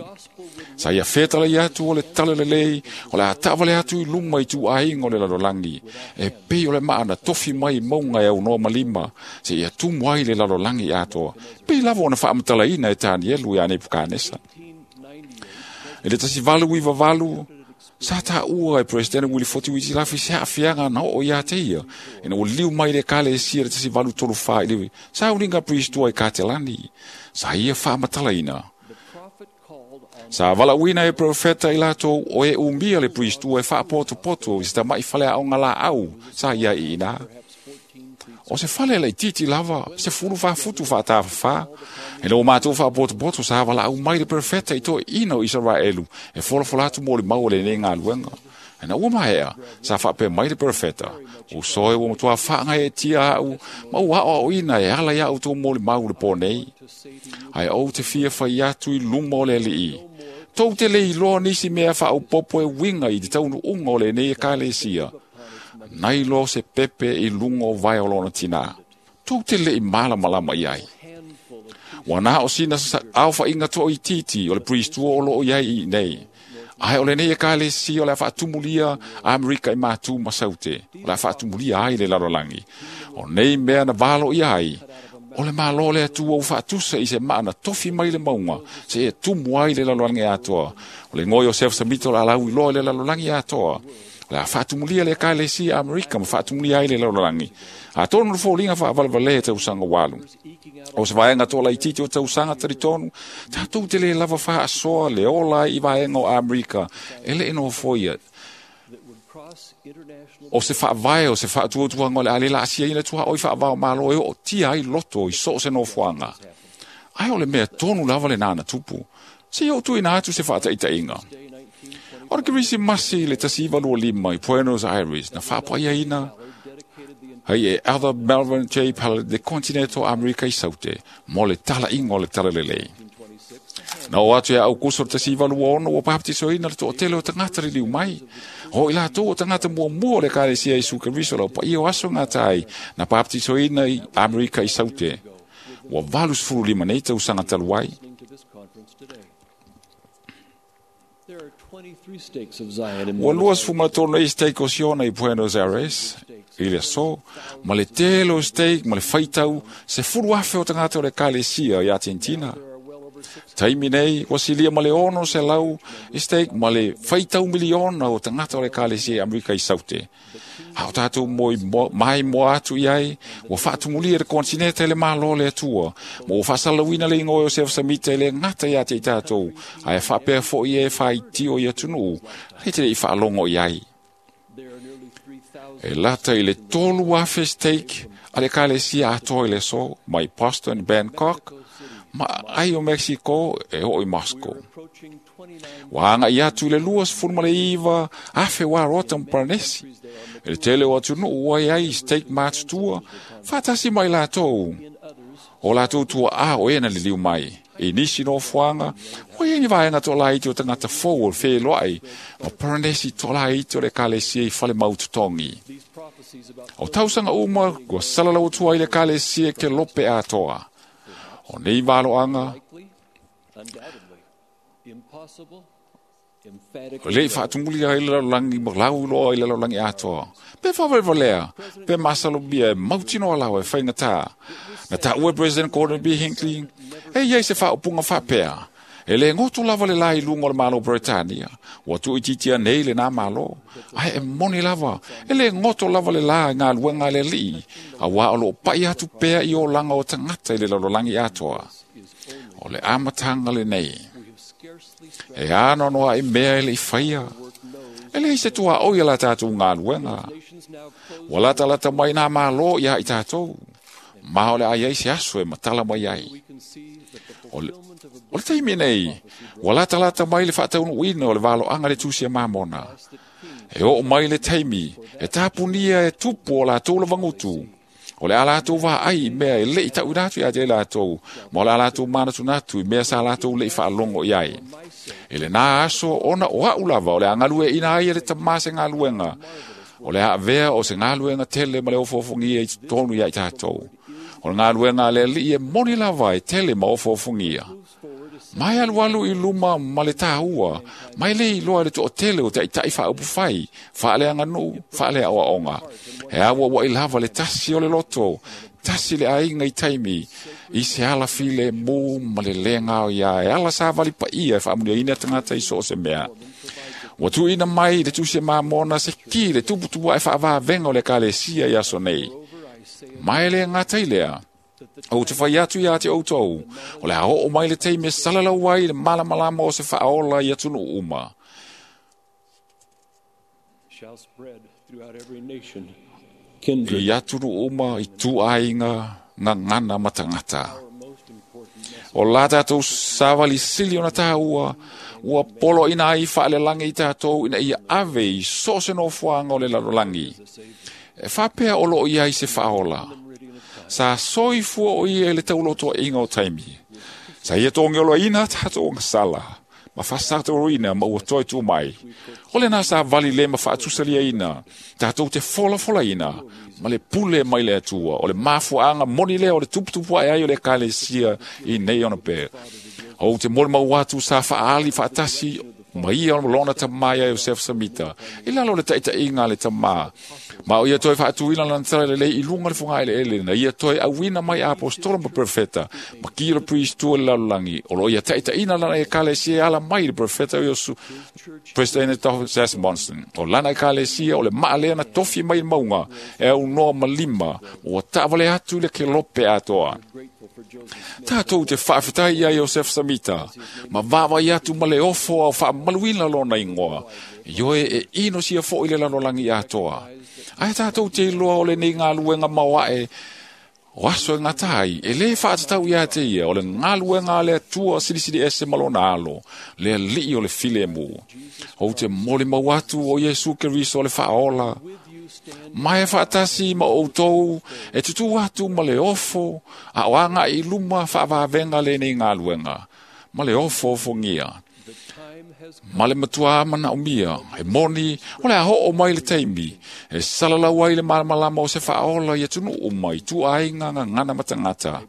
Sa ia whetala i atu o le tala le lei, o le atawale atu i luma i tu ainga o le lalolangi. E pei o le maana tofi mai maunga e au noa malima, se ia tumu ai le lalolangi atoa. Pei lava ona whaamatalaina e Danielu ia Nebukanesa. E le tasi valu i vavalu, sa tā ua e President Willie Foti Witi Lafi se haafianga na o ia te ia. Ina o liu mai le kale e sia le tasi valu tolu wha i lewe. Sa uringa priestua i Katelani. Sa ia whaamatalaina. Sa wala uina e profeta i lato o e umia le priestua e whaapoto poto i sa mai whalea o ngā la au. Sa ia i ina. O se fale laitiiti lava, se fulu faafutu faatafafā. E ua matou faapotopoto sa valaau mai le perofeta i toeaiina o Isaraelu e folafola atu molimau o lenei galuega. Ina ua maea, sa faapea mai le perofeta, uso e ua matuā faagaeetia a'u ma ua aoaoina e ala ia outou molimau le pō nei. Ae ou te fia fai atu i luma o le Alii, tou te le iloa nisi mea faaopopo e uiga i le taunuuga o lenei ekalesia, nai lo se pepe i luga o vae o lona tinā. Tou te le'i malamalama i ai. Ua na o sina aofaiga toaitiiti o le pristua o loo i ai i nei. Ae o lenei ekalesia o le a faatumulia Amerika i Matu ma Saute, o le a faatumulia ai le lalolagi. O nei mea na valoia ai, o le Malo le Atua ua faatusa i se maa na tofi mai le mauga, se e tumu ai le lalolagi atoa. O le igoa Iosefo Samita o le a lauiloa i le lalolagi atoa. O le a faatumulia le ekalesia Amerika ma faatumulia ai le lalolagi. Atonu le foliga faavalevalē e tausaga ua alu. O se vaega toalaitiiti o tausaga talitonu, tatou te lē lava faasoa le ola ai i vaega o Amerika e le'i nofoia. O se faavae o se faatuatuaga o le a le laasiaina tuaʻoi faavao malo e ootia ai loto i so o se nofoaga. Ae o le mea tonu lava lenā na tupu. Se i ou tuuina atu se faataʻitaʻiga. O le Kerisimasi i le tasi iva lua lima i Buenos Aires na faapaiaina ai e Elder Melvin J. Ballard le kontinete o Amerika i Saute mo le talaʻiga o le talalelei. Na oo atu ia Aukuso le tasi iva lua ono ua papatisoina le toʻatele o tagata liliu mai. O i latou o tagata muamua o le ekalesia Iesu Keriso lau paia o aso gata ai na papatisoina i Amerika i Saute. Ua valu sefulu lima nei tausaga talu ai. Ua lua sefulu ma le tolu nei stake o Siona i Buenos Aires i le aso, ma le tele o stake ma le faitau sefulu afe o tagata o le ekalesia i Atenetina. Taimi nei, ua silia ma le ono selau i stake ma le faitau miliona o tagata o le ekalesia i Amerika i Saute. A o tatou moi mai moa atu i ai, ua faatumulia le kontinete i le Malo o le Atua, ma ua faasalalauina le igoa o Iosefo Samita e le gata iā te i tatou, ae faapea foʻi e faitio i atunuu, le te leʻi faalogo i ai. E lata i le tolu afe stake a le ekalesia atoa i le aso, mai Boston, Bangkok, ma ai o Mexico e oo i Moscow. Ua agaʻi atu i le lua sefulu ma le iva afe ua rota ma Paranesi. E le tele o atunuu ua iai stake matutua, faatasi mai latou. O latou tuaʻā o e na liliu mai. I nisi nofoaga, ua iai ni vaega toalaiti o tagata fou o le feloaʻi ma Paranesi toalaiti o le ekalesia i fale mautotogi. O tausaga uma ua salalau atu ai le ekalesia i kelope atoa. O nei valoaga, leʻi faatumulia ai le lalolagi ma lauiloa i le lalolagi atoa. Pe faavalevalea, pe masalomia e mautinoa lawa e faigatā. Na taʻua e President Gordon B. Hinckley, e iai se faaupuga faapea. E le goto lava le la i luga o le Malo o Peretania. Ua tuuitiitia nei lenā Malo. Ae e moni lava, e le goto lava le la i galuega a le Alii, auā o loo paʻi atu pea i olaga o tagata i le lalolagi atoa. O le amataga lenei. E anoanoaʻi mea e leʻi faia. E leai se tuaʻoi a la tatou galuega. Ua latalata mai nā Malo iā i tatou. Ma o le a iai se aso e matala mai ai. O le, o le taimi nei, ua latalata mai le faataunuuina o le valoaga le tusi a Mamona. E oo mai le taimi, e tapunia e tupu o latou lavagutu. O le a latou vaai i mea e leʻi taʻuina atu iā te latou, ma o le a latou manatunatu i mea sa latou leʻi faalogo i ai. E lenā aso ona o aʻu lava o le a galueaʻina ai e le tamā se galuega. O le a avea o se galuega tele ma le ofoofogia i totonu iā i tatou. O le galuega a le Alii e moni lava e tele ma ofoofogia. Mai alualu i luma ma le tāua, mai le iloa i le toʻatele o taʻitaʻi faaupufai, faaleaganuu, faaleaoaoga. E auauaʻi lava le tasi o le loto, tasi le aiga i taimi, i se ala filemu ma le lē gaoia e ala savali paia e faamuliaina tagata i so o se mea. Ua tuuina mai le tusi a Mamona se ki le tuputupuaʻe faavavega o le ekalesia i aso nei. Ma e le gata i lea, ou te fai atu iā te outou, o le a oo mai le taimi e salalau ai le malamalama o se faaola i atunuu uma. Shall spread throughout every nation. I atunu uma i tuaiga gagana ma tagata. O la tatou savali sili ona tāua, ua poloaina ai faalelagi i tatou ina ia ave i so o se nofoaga o le lalolagi. E faapea o loo i ai se faaola. Sa soifua o ia i le taulotoaiga o taimi. Sa ia togioloaina tatou gasala, ma faasatauina ma ua toe tu mai. O lena sa vali le ma faatusaliaina, tatou te folafolaina, ma le pule mai le Atua, o le mafuaaga moni lea o le tuputupu ae ai o le ekalesia i nei ona pea. Ou te molimau atu sa faaali faatasi ma ia lona tamā ia Iosefo Samita, i lalo o le taitaiga a le tamā. Ma o ia toe faatuina lana talalelei i luga o le fogaeleele na ia toe auina mai apostola ma profeta, ma kia le priest o le lalolagi, o loo ia taitaiina lana ekalesia e ala mai le profeta o Iosu, President Thomas Monson. O lana ekalesia o le maalea na tofi mai le mauga, e aunoa ma lima, ua taavale atu i le kelope atoa. Tatou te faafetai ia Iosefo Samita, ma vaavai atu ma le ofo ao faamaluina lona igoa, ioe e inosia foʻi le lalolagi atoa. Ae tatou te iloa o lenei galuega maoaʻe o aso e gata ai, e lē faatatau iā te ia o le galuega a le Atua silisili ese ma lona alo, le alii o le filemu. Ou te molimau atu o Iesu Keriso o le faaola, ma e faatasi ma outou e tutū atu ma le ofo a o agaʻi i luma faavavega lenei galuega, ma le ofo ofogia. Ma le matuā manaomia, e moni o le a hoo mai le taimi, e salalau ai le malamalama o se faaola i atunuu mai tuaiga gagana ma tagata.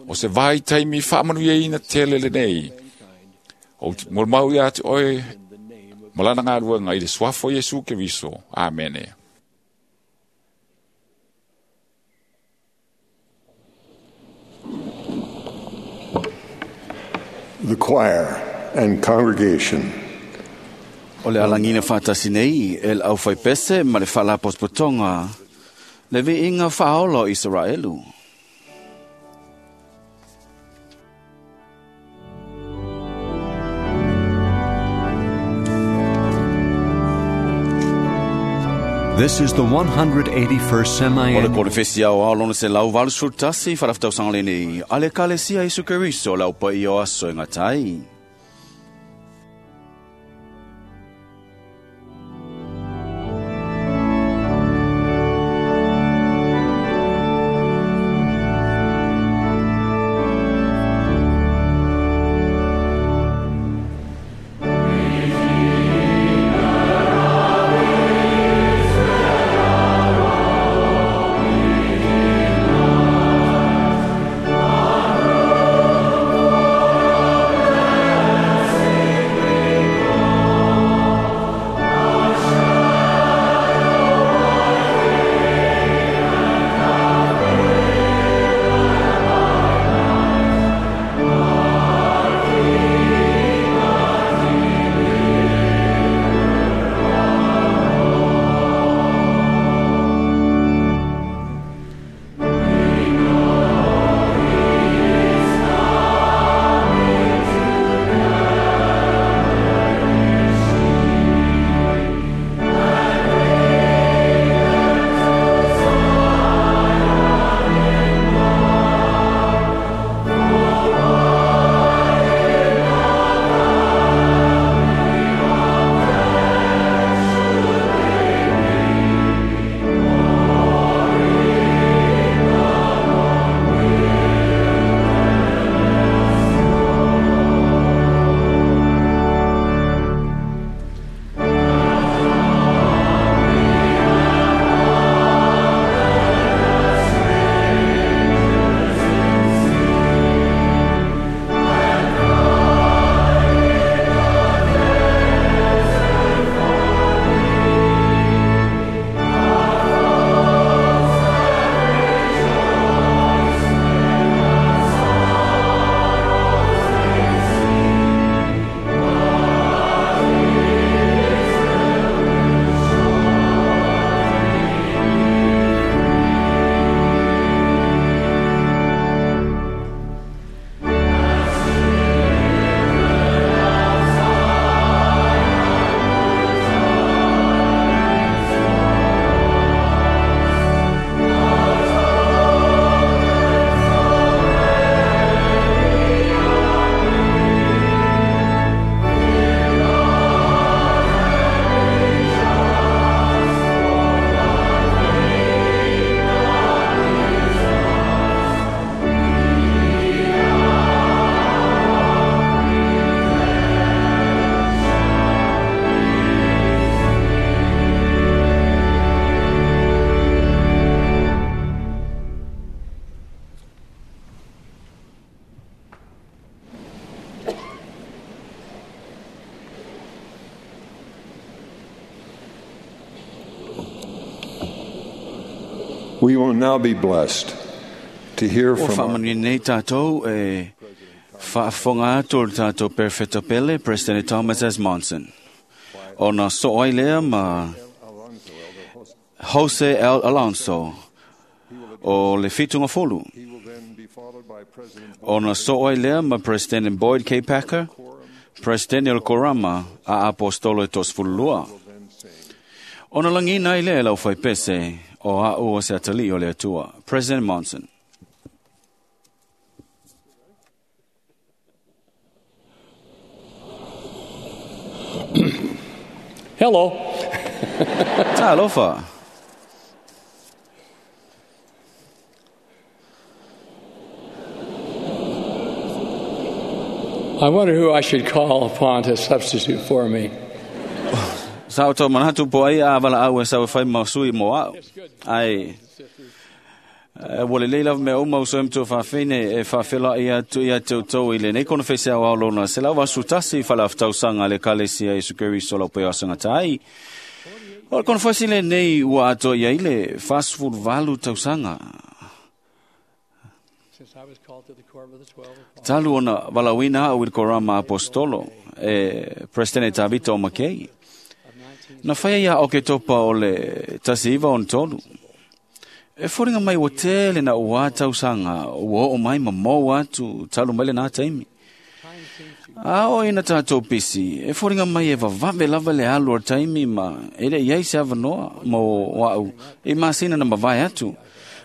O se vai taimi faamanuiaina tele lenei. Ou te molimau ia te oe ma lana galuega i le suafa o Iesu Keriso. Amene. The choir and congregation. O le alagina faatasi nei e le aufaipese ma le faalapotopotoga le viiga faaola o Isaraelu. This is the one hundred eighty-first O le semi-annual konefesi ao ao lona se lau valu sefulutasi faalafetausaga lenei a le Ekalesia Iesu Keriso le aupaia o aso e gata ai. We will now be blessed to hear Ua from our faamanuia nei tātou e faafofoga atu o le tātou Perfeta Pele, President Thomas S. Monson. Ona so ai lea ma Jose L. Alonso o le Fitunga Fulu. Ona so ai lea ma President Boyd K. Packer, President El Korama a Apostolo e Tosfulua. Ona langina ai lea lau whaipese o a o se atali o le atua. President Monson. Hello. Talofa. I wonder who I should call upon to substitute for me. Sa o tō manatu po ai a wala au e sa whai mausui mo au. Ai, ua le leila mea uma uso em tō whawhine e whawhela ia tu ia tau tau i le nei kono whese au au lona. Se lau vasu tasi whala whatausanga le kalesia i sukeri sola pe asanga tai. O le kono whese le nei ua ato ia i le fast food valu tausanga. Talu ona walawina au i korama apostolo e President Tavito o Makei. Na whaia ia o ke topa o le tasi iwa on tolu. E foringa mai o tele na ua tausanga, ua o mai ma mou atu, talu mai le nā taimi. A o ina tātou pisi, e foringa mai e vavave lava le alu o taimi ma e le iai se avanoa mo wau, e masina na mavae atu.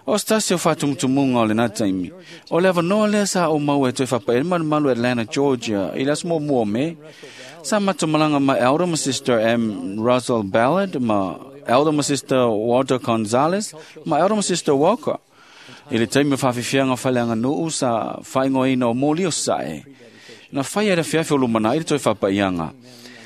O stasi o whātumutumunga o le nā taimi. O le avanoa lea sa o mau e toe whapa e malu Atlanta, Georgia, i las mo mua me. Sa matumalanga ma Elder ma Sister M. Russell Ballard, ma Elder ma Sister Walter Gonzalez, ma Elder ma Sister Walker. I le taimi whawhiwhianga whaleanga nuu sa whaingoina o mōli o sae. Na whai era fiafi o lumana i le toi whapaianga.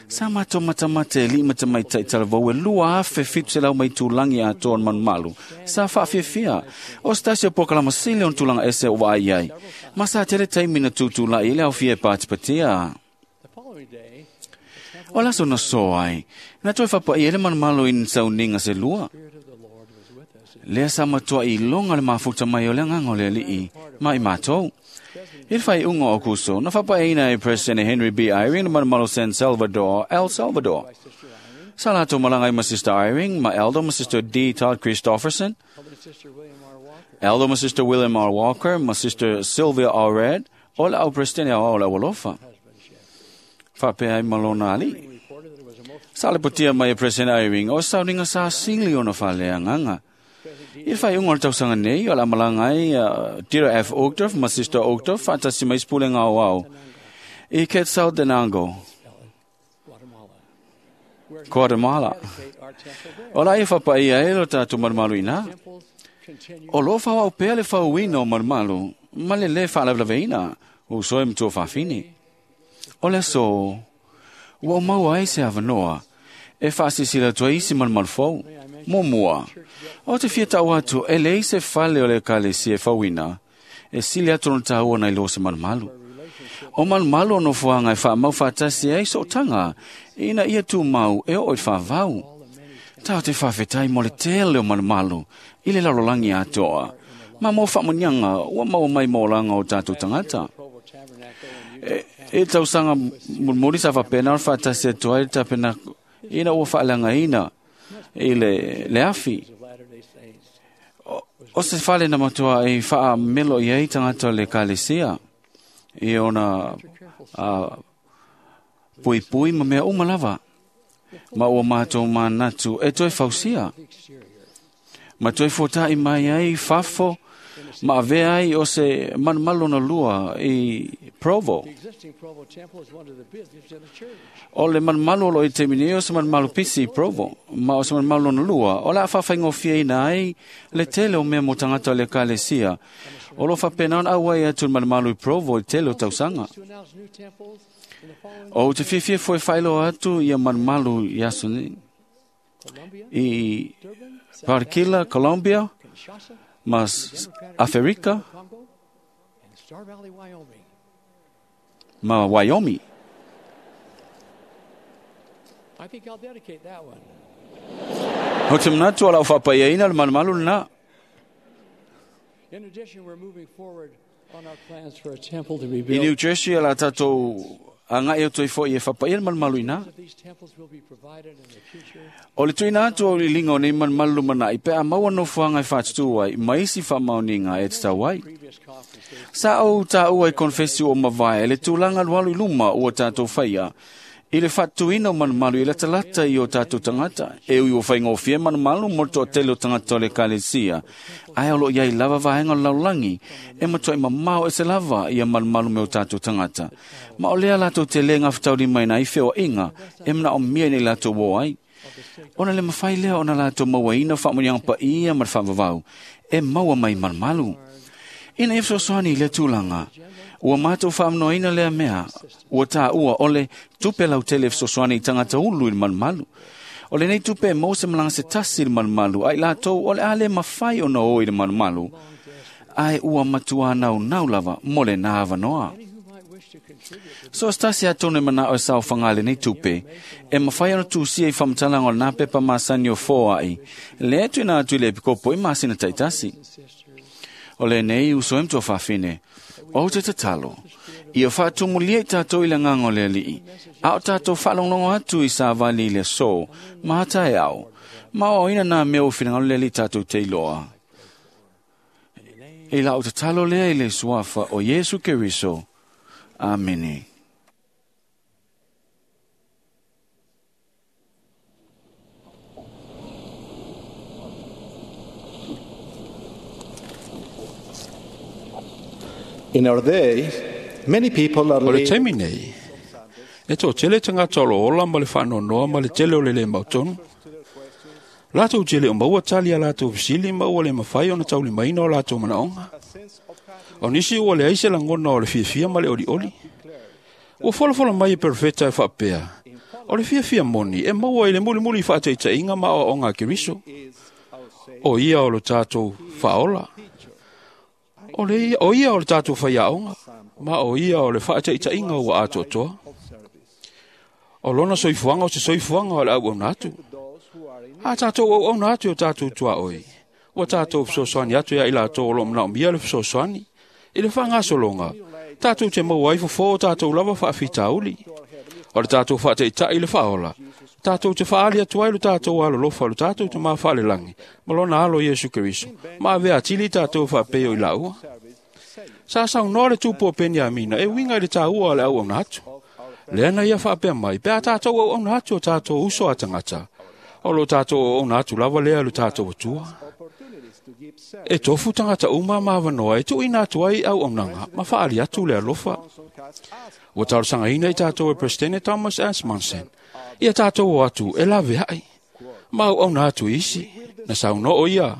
Sa mato matamate li matamai taitalavau e lua afe fitu se lau mai tūlangi a tōn manumalu. Sa whaafiafia. O stasi o pokalama sili on tūlanga ese o ai ai. Ma sa tere taimi na tūtūla i le au fia e pātipatia. O laso na so ai. Na toi whapa i ele manumalu in sauninga se lua. Lea sa matua i longa le mafuta mai o le nganga o le alii. Ma i mātou. I whai unga o kuso, na whapaina e President Henry B. Eyring na manumalo San Salvador, El Salvador. Sa lato malangai ma Sister Eyring, ma Elder ma Sister D. Todd Christofferson, Elder ma Sister William R. Walker, ma Sister Sylvia R. Red, o la au President au la walofa. Whapea i malona ali. Sa le potia mai e President Eyring, o sauninga sa sili ona whalea nganga. I whai unga o le tausanga nei, o la malangai uh, Tira F. Uchtdorf, ma Sister Uchtdorf, whaatasi mai spule ngā o au. I Quetzaltenango, Guatemala. O la i whapai ai lo tātou marumaru ina. O lo whawau pea le whauina o marumaru, ma le le whaalavelaveina, o soe mtua whawhini. O le so, ua o mau ai se avanoa, e whaasisila tua isi marumaru fau. Mo mua, o te fia tau atu, e lei se fale o le kalesi e whauina, e sili atu no tāua nei lo se malumalu. O malumalu o nofoanga e whaamau whaatasi ai so tanga, ina ia tū mau e o i whawau. Tau te whawhetai mo le tele o malumalu, i le lalolangi atoa. Ma mo whaamunyanga, ua mau mai mōlanga o tātou tangata. E, e tausanga mulmuli sa whapena o whaatasi atu ai tapena, ina ua whaalanga ina, i le, le afi. O, o se fale na matua e whaa melo i ei tangata le kalesia. I ona uh, pui pui ma mea uma lava. Ma ua mātou mānatu e toi fausia. Ma toi fōta'i mai ai fafo ma avea ai o se manumalu na lua i Provo. O le manumalu o lo i te mini o se manumalu pisi i Provo, ma o se manumalu na lua, o la whawhaingofia ina ai le tele o mea mo tangata le kalesia. O lo whapena on auai atu manumalu i Provo i tele o tausanga. O te fiafia foe whailo atu ia manumalu i aso ni. I Parkila, Colombia, mas Afrika, ma Wyoming. I think I'll dedicate that one. O te manatu ala o whapaia ina le malumalu na. I New Jersey ala tātou a ngai o toi fo i e whapaia malumalu ina. O le tuina atu o lilinga o nei malumalu lumana i pea maua nofoanga e whātutu ai, maisi whaamaoninga e te tau ai. Sa au tā ua i konfesi o mavae, le tūlanga lualu i luma ua tātou whaia. I le whatuina o malumalu i latalata i o tātou tangata. E ui o whaingofie malumalu mo to tele o tangata o le kalesia. Ai olo iai lava vahenga o laulangi. E matua i mamao e se lava i a malumalu me o tātou tangata. Ma o lea latou te lenga whatauri mai na i whewa inga. E mna o mia nei latou o ai. Ona le mawhai lea ona latou mawaina whaamurianga pa ia ma whaavavau. E maua mai malumalu. Ina e fesoasoani i le tulaga, ua matou faamanoaina lea mea, ua tāua o le tupe lautele e fesoasoani i tagata ulu i le malumalu. O lenei tupe e maua se malaga se tasi i le malumalu, a i latou o le a le mafai ona o i le malumalu, ae ua matuā naunau lava mo lenā avanoa. So se tasi atonu e manao e saofaga lenei tupe, e mafai ona tusia i faamatalaga o lenā pepa masani o foai, lea e tuuina atu i le epikopo i masina taitasi. O le nei uso e mtua whawhine, o te tatalo, ia whaatumulia i tātou i le nganga o le alii, a o tātou whaalonglongo atu i sa vali i le so, mahata e au, ma o ina nā mea o whinangalo le alii tātou te iloa. I la o tatalo lea i le suafa o Iesu Keriso. Amene. In our day, many people are O le taimi nei, e tō tele tangata o lo ola ma le whaanonoa ma le tele o le le mautonu. Lātou tele o maua tali a lātou fisili ma ua le mawhai o na tauli maina o lātou manaonga. O nisi ua le aise langona o le fiafia ma le oli oli. Ua folafola mai e perfeta e whaapea. O le fiafia moni e maua i le muli muli whaataitainga ma o onga keriso. O ia o lo tātou whaola. O, le, o ia o le tātou whaiaonga, ma o ia o le whaataitainga ua atoatoa. O lona soifuanga o se soifuanga o le au auna atu. A tātou au auna atu o tātou tua oi. Ua tātou fesoasoani atu ia i lātou o lo mnao mia le fesoasoani. I le whangasolonga, tātou te maua ai fofo o tātou lava whaafitauli. O le tātou whaataitai le whaola. Tātou te whaali atu ai lo tātou alolofa lo tātou te mawhaalelangi. Ma lona alo Iesu Keriso. Ma avea tili tātou whaapeo i laua. Sa saunoa le tupu o Peniamina e winga i le tāua o le au auna atu. Lea na ia whaapea mai, pea tātou au auna atu o tātou uso a tangata. O lo tātou au auna atu lava lea lo tātou atua. E tofu tangata uma mawanoa e tuina atu ai au aunanga, ma whaali atu le alofa. Ua taurasanga ina i tātou e Presidente Thomas S. Monson. Ia tātou o atu e lawe ai. Ma au auna atu isi, na sauno o ia.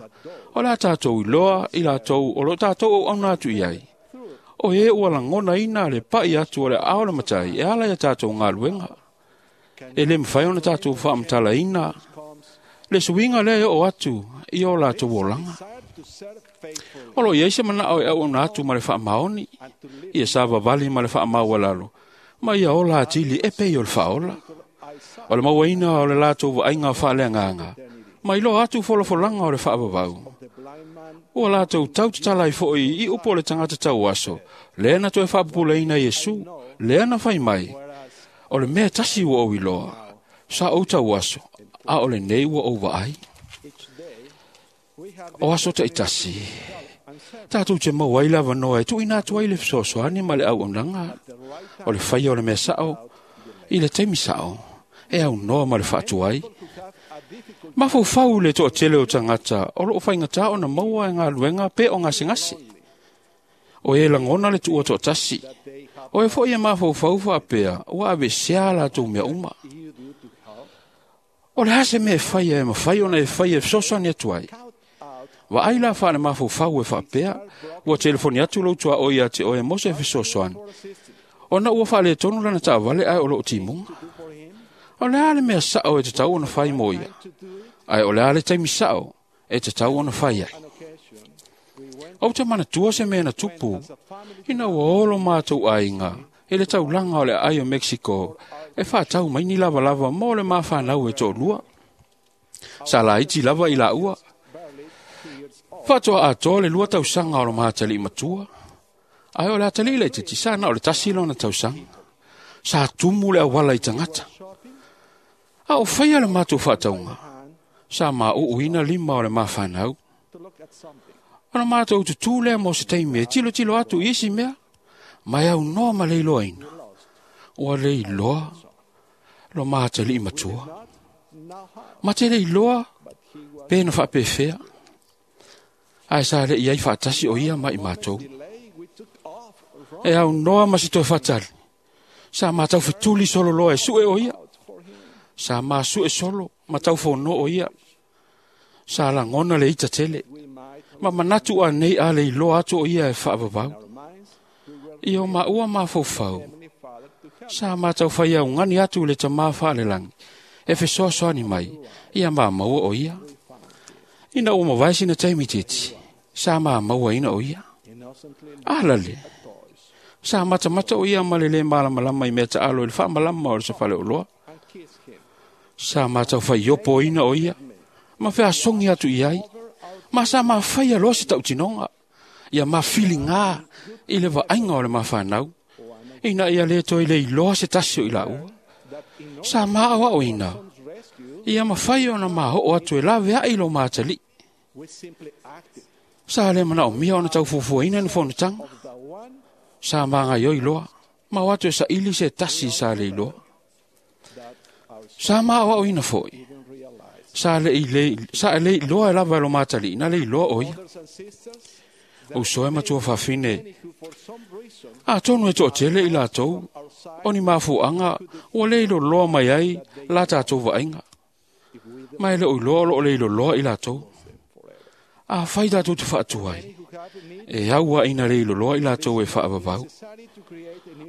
O la tātou i loa i lātou o lo tātou au auna atu i ai. O e ua langona ina le pai atu o le ao le matai e ala ia tātou ngā luenga. E le mwhai ona tātou whaamtala ina. Le suinga lea o atu i o lātou olanga. O lo iai se mana o e au ona atu ma le whaamaoni. Ia sa vavali ma le whaamaualalo. Ma ia ola atili e pei o le whaola. O le mauaina o le lātou vaaiga o whaaleanganga. Ma ilo atu folafolanga o le whaavavau. Ua lātou tau tatalai foi i upo le tangata tau aso. Lea na toe whaapupulaina Iesu. Lea na whai mai. O le mea tasi ua o iloa. Sa ou tau aso. A o le nei ua ou vaai. O aso te itasi. Tātou te mau ai lava noa e tuina atu ai le fesoasoani ma le auaunaga. O le whaia o le mea sao. I le taimi sao. E au noa ma le whaatuai. Mafaufau le toatele o tangata o loo faigata ona maua e ngā luenga pe o gasegase. O e lagona le tuua toatasi. O e foʻi e mafaufau faapea ua avesea latou mea uma. O le a se mea e faia e mafai ona e faia e fesoasoani atu ai. Vaai la faale mafaufau e faapea ua telefoni atu lou tuaʻo ia te oe mo se fesoasoani. Ona ua faaletonu lana taavale ae o loo timuga. O le a le mea sao e tatau ona fai mo ia. Ae o le a le taimi sao e tatau ona fai ai. O te manatua se mea na tupu, ina ua olo mātou aiga, e le taulaga o le aai o Mexico, e whātau mai ni lava lava mo le mawhanau e tōlua. Sa laiti lava i la ua. Faatoa atoa le lua tausaga o lo maatali'i matua. Ae o le atali'i laitiiti sa na o le tasi lona tausaga. Sa tumu le auala i tagata. A o faia le matou faatauga, sa maʻuʻuina lima o le mafanau. Ona matou tutū lea mo se taimi e tilotilo atu i isi mea, ma e aunoa ma le iloaina. Ua le iloa lo maatali'i matua. Ma te le iloa pe na faapefea. Ae sa leʻi ai faatasi o ia ma i matou. E aunoa ma se toe faatali. Sa matau fetuli solo loa e sue o ia. Sa masue solo ma taufono o ia. Sa lagona le ita tele. Ma manatu a nei a le iloa atu o ia e faavavau. Ia o maua mafaufau. Sa matau fai augani atu le tamā faalelagi. E fesoasoani mai, ia mamaua o ia. Ina ua mavae sina taimi titi, sa mamauaina o ia. Alale, sa matamata o ia ma le lē malamalama i mea taalo i le faamalama o le safaleoloa. Sa matau faiopoina o ia, ma feasogi atu i ai, ma sa mafaia loa se tautinoga, ia mafiligā i le vaaiga o le mafanau, ina ia lē toe le iloa se tasi o i laua. Sa maaoaoina, ia mafai ona maoo atu e laveai lo maatali'i. Sa le manaomia ona taufuafuaina ni fonotaga. Sa magaioi loa, ma o atu e saili se tasi sa le iloa. Sa maaoaoina foi, sa le i sa le iloa e lava e lo maatali'i na le iloa o ia. Uso e matua fafine, atonu e toatele i latou, o ni mafuaga ua le iloloa mai ai la tatou vaaiga. Ma e le o iloa o loo le iloloa i latou. A fai tatou te faatuai, e aua ina le iloloa i latou e faavavau.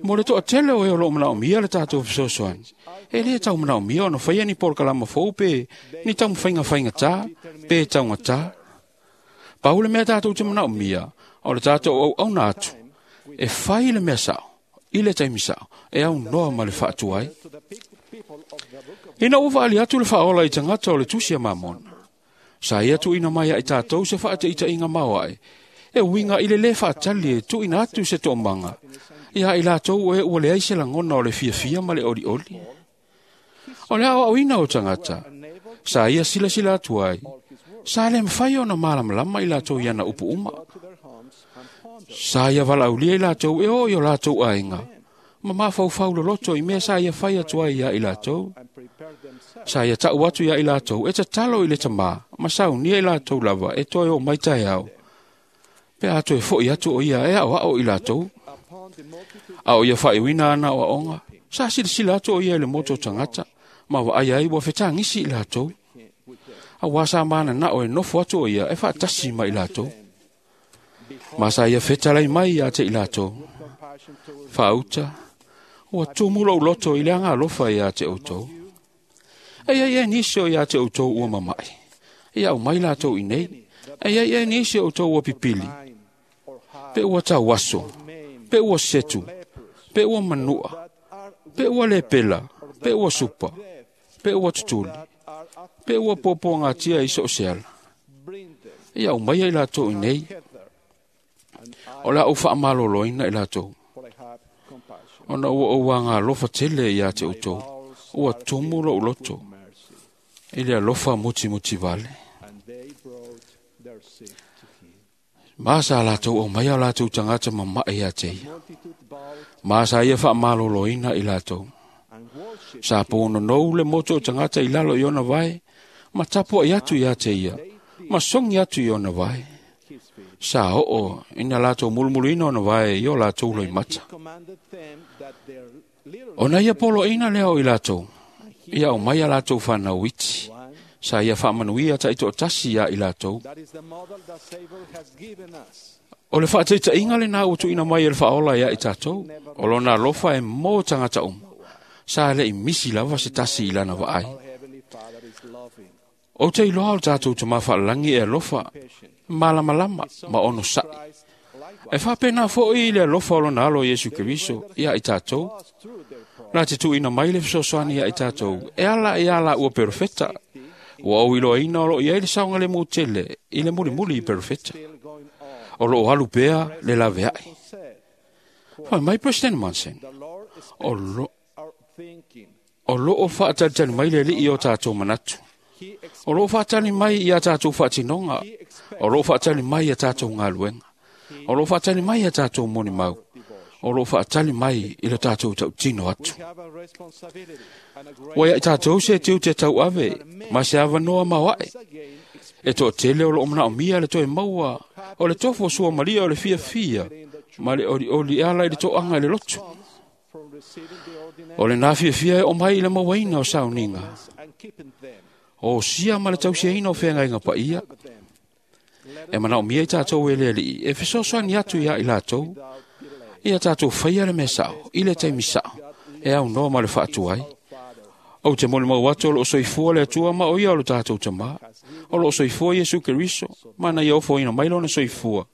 Mo le toatele o e o loo manaomia le tatou fesoasoani, e lē tau manaomia ona faia ni polokalama fou pe ni taumafaiga faigatā pe taugatā. Pau le mea tatou te manaomia, o le tatou auauna atu, e fai le mea sao, i le taimi sao, e aunoa ma le faatuai. Ina ua vaali atu le faaola i tagata o le tusi a Mamona, sa ia tuuina mai ai tatou se faateitaiga maoae, e uiga i le lē faatali e tuuina atu se toomaga, ia i latou e ua leai se lagona o le fiafia ma le olioli. O le aoaoina o tagata, sa ia silasila atu ai, sa le mafai ona malamalama i latou i ana upu uma. Sa ia valaaulia i latou e o i o latou aiga, ma mafaufau loloto i mea sa ia fai atu ai ia i latou. Sa ia tau atu ia i latou e tatalo i le tamā, ma saunia i latou lava e toe o mai taeao. Pe a toe foi atu o ia e aoao i latou. A o ia faaiuina ana aoaoga, sa silasila atu o ia i le moto o tagata, ma vaai ai ua fetagisi i latou. Auā sa mananao e nofo atu o ia e faatasi ma i latou. Ma sa ia fetalai mai ia te i latou. Faauta, ua tumu lou loto i le agalofa ia te outou. E iai e nisi o ia te outou ua mama'i. Ia aumai latou i nei. E iai e nisi o outou ua pipili. Pe ua tauaso, pe ua setu, pe ua manua, pe ua lepela, pe ua supa, pe ua tutuli, pe ua puapuagatia i so o se ala. Ia aumai ai latou i nei. O le a ou faamaloloina i latou. Ona ua ou agalofa tele ia te outou, ua tumu lou loto i le alofa mutimuti vale. Ma sa latou aumaia o latou tagata mama'i ia te ia. Ma sa ia faamaloloina i latou. Sa punonou le moto o tagata i lalo i ona vae, ma tapuai atu ia te ia, ma sogi atu i ona vae. Sa oo ina latou mulumuluina ona vae i o latou loimata. Ona ia poloaina lea o i latou, ia aumai a latou fanau iti, sa ia faamanuia taitoatasi ia i latou. O le faateitaiga lenā ua tuuina mai e le faaola ia i tatou, o lona alofa e mo tagata uma, sa leʻi misi lava se tasi i lana vaai. Ou te iloa o le tatou tamā faalelagi e alofa, malamalama ma onosaʻi. E faapena foʻi i le alofa o lona alo Iesu Keriso ia i tatou. La te tuuina mai le fesoasoani ia i tatou, e ala ia la ua perofeta, Ua ou iloaina o loo i ai le saogalemu tele i le mulimuli i perofeta. O loo alu pea le laveai. Fai mai President Monson, o lo o loo faatalitali mai le alii o tātou manatu. O loo faatali mai i a tātou faatinoga. O loo faatali mai i a tātou galuega. O loo faatali mai i a tātou monimau. O loo faatali mai i le tātou tautino atu. Ua ia i tātou se tiu te tau ave, ma se avanoa maoae. E toa tele o loo manaomia le toe maua, o le tofu o sua malia o le fia fia, ma le oli oli ala i le toaga i le lotu. O le nā fiafia e o mai i le mauaina o sauniga. O sia ma le tausiaina o whengainga pa ia. E manaomia i tātou e le alii, e fesoasoani atu ia i lātou, ia tātou whaia le mea sao, i le taimi sao, e au noa ma le whaatu ai. Ou te moli mau atu o loo soifua le Atua ma o ia o le tātou tamā. O loo soifua Iesu Keriso, mana ia ofo ina mai lona soifua.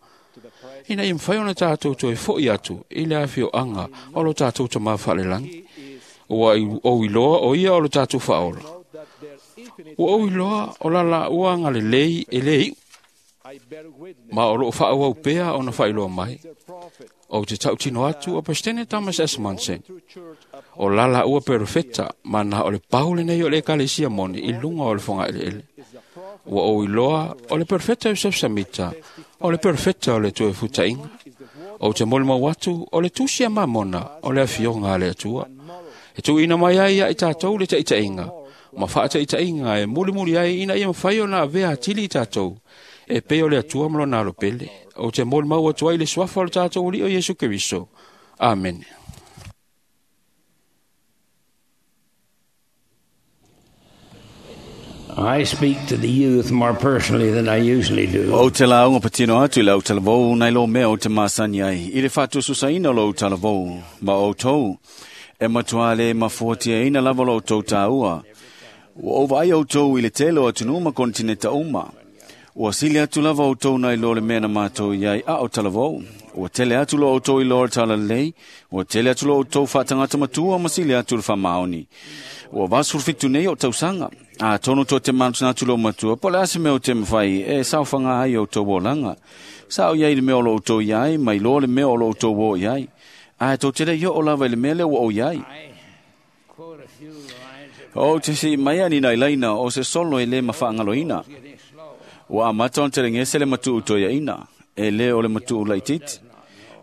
Ina ia mawhai ona tātou toe foi atu i le awhio anga o lo tātou tamā whalelangi. Ua o iloa o ia o lo tātou whaola. Ua o iloa o lala ua anga le lei e le iu. Ma o loo whaau pea o na whailoa mai. O te tautino atu o President Thomas S. Monson. O lala ua perofeta mana o le paule nei o le ekalesia moni i lunga o le whanga ele ele. Ua o iloa o le perfeta Joseph Samita, o le perfeta o le toe futainga. O te moli mau atu o le tusia mamona o le afionga a le Atua. E tuuina mai ai ia i tātou le taitainga. Ma whaataitainga e muli muli ai ina ia mawhai o nā avea atili i tātou. E pei o le Atua ma lona alo pele. O te moli mau atu ai le suafa o le tātou li o Iesu Keriso. Amen. I speak to the youth more personally than I usually do. O te launga patino atu i lau talavou nei lo mea o te masani ai. I le whaatususaina lo talavou, ma o tau. E matua le mafuatia ina lava lo tau tāua. Ua o vai o tau i le tele o atunuu ma kontineta uma. Ua sili atu lava o tau nei lo le mea na mātou iai a o talavou. Ua tele atu lo o tau i lo talalei. Ua tele atu lo o tau whaatangata matua ma sili atu le whamaoni. Ua vasurfitu nei o tausanga. A tono to te manutuna atu lo matua, po le ase mea o te mwhai, e saofanga ai o tau olanga. Sao iai le mea o lo o tau iai, mai lo le mea o lo o tau o iai. A e tau tele io o lava i le mea le ua o iai. O te si mai ani nai laina o se solo e le mawhaangaloina. Ua amata on te rengese le matu utoia ina, e le o le matu ulaititi.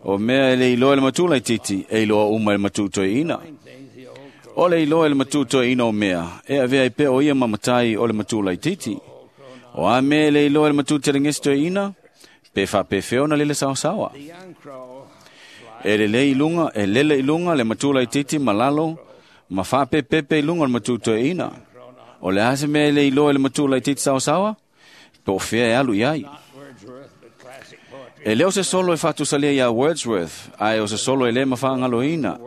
O mea e le iloa le matu ulaititi, e iloa uma le matu utoia ina. O le iloa le matu toeina o mea, e avea i pea o ia mamatai o le matu laititi. O a mea le iloa le matu telengesi toeina, pe whapewheo na lele sawasawa. E lele i lunga, e lele i lunga le matu laititi malalo, ma whapepepe i lunga le matu toeina. O le ase mea le iloa le matu laititi sawasawa, pe o fea e alu iai. E leo se solo e whatusalia ia Wordsworth, ae o se solo e le mawhaangaloina.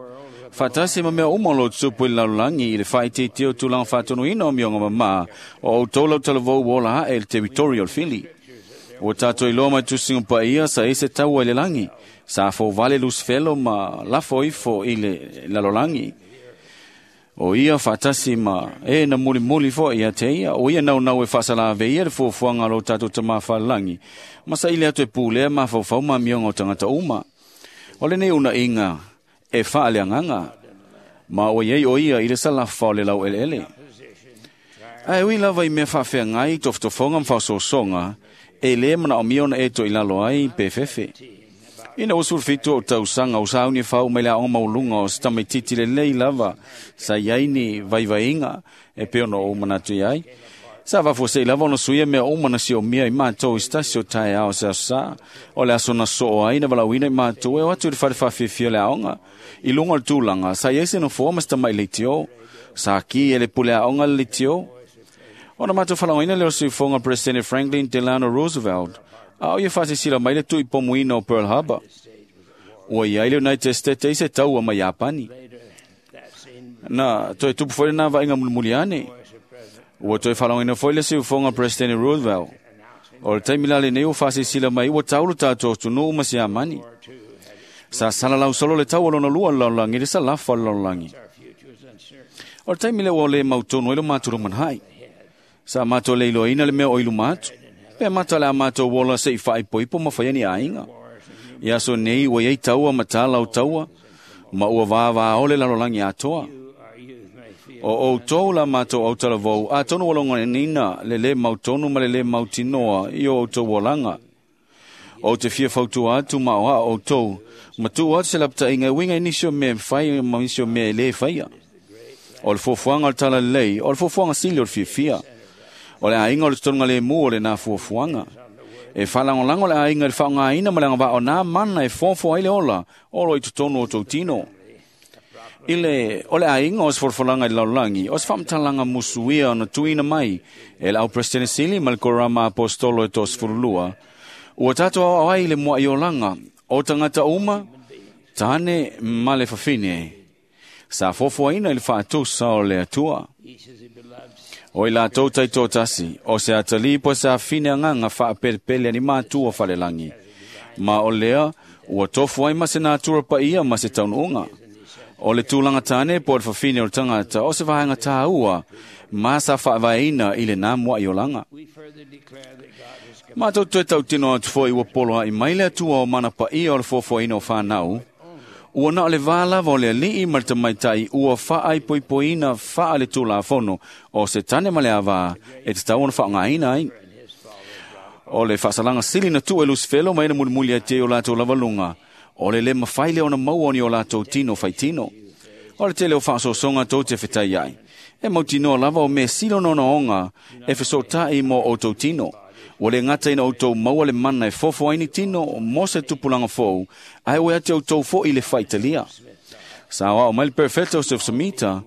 Whatasi ma mea uma lo tupu i lalulangi i le whaititi o tūlanga whatonuina o mionga mama o au tōlau talavou wola hae le teritori o le fili. O tātou i loa mai tusinga pa ia sa ese taua i le langi. Sa afo vale lusfelo ma lafo ifo i le lalolangi. O ia whatasi ma e na muli muli fo ia te ia. O ia nau nau e whasalave ia le fuafuanga lo tātou tamā whalalangi. Ma sa ile atu e pūlea ma whaufau ma mionga o tangata uma. O le nei una inga e whaaleanganga, ma o iei o ia i le salafa o le lau ele ele. Ae ui lava i mea whaafea ngai, toftofonga mwhaososonga, e le mana o miona e to i lalo ai pe fefe. Ina usulfitu o tausanga o sauni whau mai lea o maulunga o sitamititi le lei lava, sa iai ni vaivainga, e peo no o manatu iai. Sa vafose i lava ona suia mea o mana si o mia i mātou i stasi o tae ao se asa. O le aso na soo ai na walauina i mātou e o atu i le whare whawhiwhia le aonga. I lunga o le tūlanga, sa iai se no fōa mas tamai le tio. Sa ki e le pule aonga le tio. Ona mātou whalangoina le o suifonga President Franklin Delano Roosevelt. A o ia whasisila mai le tui pomuina o Pearl Harbor. Ua iai le United States e se taua mai Japani. Na, toi tupu fole nā vainga mulimuli ane. Ua toi whalangoina foi le siufonga President Roosevelt. O le taimi lale nei o whasisila mai ua taulu tātou tunu uma si amani. Sa salalau solo le tau alona lua lalaulangi le sa lafa lalaulangi. O le taimi le ua le mautonu e lo māturu manhai. Sa mātou le iloaina le mea o i luma atu. Pe mata le a mātou wola se i whaipoipo ma whai ani aiga. Ia so nei ua iai taua ma tāla o taua, ma ua vāvā ole lalolangi atoa. O outou la mātou au talavou, a tonu walonga nina, le le mautonu ma le le mautinoa i o outou olanga. O te fia fautua atu ma o a outou, ma tuu atu se lapata'iga e uiga i nisi o mea e mafai ma nisi o mea e lē faia. O le fuafuaga o le talalelei, o le fuafuaga sili o le fiafia. O le aiga o le totonuga lemu o lenā fuafuaga. E faalagolago le aiga i le faaaogāina ma le agavaa o nā mana e foafoa ai le ola o lo i totonu o tou tino. I le, o le aiga o se folafolaga i le lalolagi, o se faamatalaga musuia ona tuuina mai e le au Peresetene Sili ma le Korama Aposetolo e toasefululua, ua tatou aoao ai i le mua'i olaga o tagata uma, tane ma le fafine, sa foafoaina i le faatusa o le Atua. O i latou taitoatasi, o se atalii po o se afine agaga faapelepele ani matua falelagi. Ma o lea, ua tofu ai ma se natura paia ma se taunuuga. O le tulaga tane po o le fafine o le tagata, o se vaega tāua, ma sa faavaeina i lenā mua'i olaga. Matou toe tautino atu foi ua poloa'i mai le Atua o mana paia o le foafoaina o whanau, ua na o le vā lava o le ali'i ma le tamaitai ua faaipoipoina faa le tulafono o se tane ma le avā e tatau ona faaaogāina ai. O le faasalaga sili na tuu e Lusifelo ma ena mulimuli ai te o latou lavaluga, o le lē mafai lea ona maua o ni o latou tino faitino. O le tele o faasoasoga tou te fetai ai, e mautinoa lava o mea sili ona ogaoga e fesoota'i mo outou tino. Ua le gata ina outou maua le mana e fofo ai ni tino mo se tupulaga fou, ae ua ia te outou fo'i le faitalia. Sa aoao mai le Perofeta o Joseph Smita,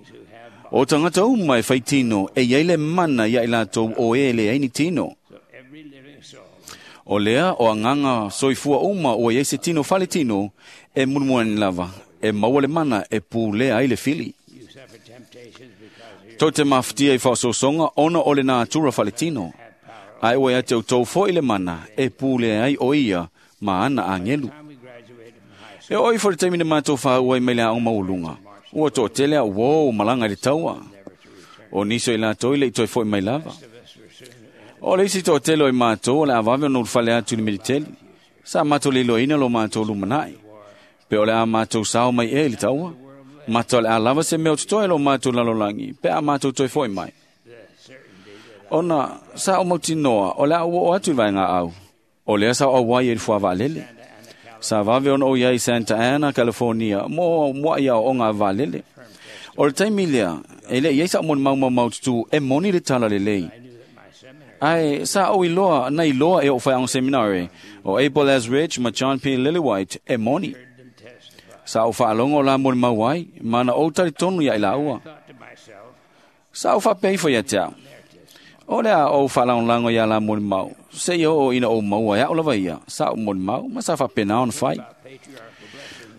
o tagata uma e faitino e iai le mana ia i latou o e leai ni tino. O lea o agaga soifua uma ua iai se tino faletino e mulimuani lava, e maua le mana e pulea ai le fili. Tou te mafatia i faasoasoga ona o le natura faletino, ae ua ia te outou foi le mana e pulea ai o ia ma ana agelu. E oo ifo i le taimi na matou faaua ai mai le aoga maualuga, ua toatele au uō malaga i le taua. O nisi o i latou e le'i toe fo'i mai lava. O le isi toatele o i matou o le a vave ona ulufale atu i le militeli. Sa matou leiloaina lo matou lumana'i. Pe o le a matou sao mai ea i le taua. Mata o le a lava se mea o totoe lo matou lalolagi, pe a matou toe fo'i mai. Ona sa ou mautinoa o le a ou oo atu i vaega au. O lea sa ou auai ai i le fuavaalele. Sa vave ona ou iai i Santa Ana, California, mo mua'i aoaoga a vaalele. O le taimi lea, e le'i ai sa'u molimau maumaututu e moni le tala lelei. Ae sa ou iloa na iloa e o'u faiaoga seminare, o Abel Eldredge ma John P. Lillywhite e moni. Sa ou faalogo o la molimau ai, ma na ou talitonu ia i laua. Sa ou faapea ifo ia te au, o le a ou faalagolago ia la molimau, seia oo ina ou maua e a'u lava ia, sa ou molimau ma sa faapena ona fai.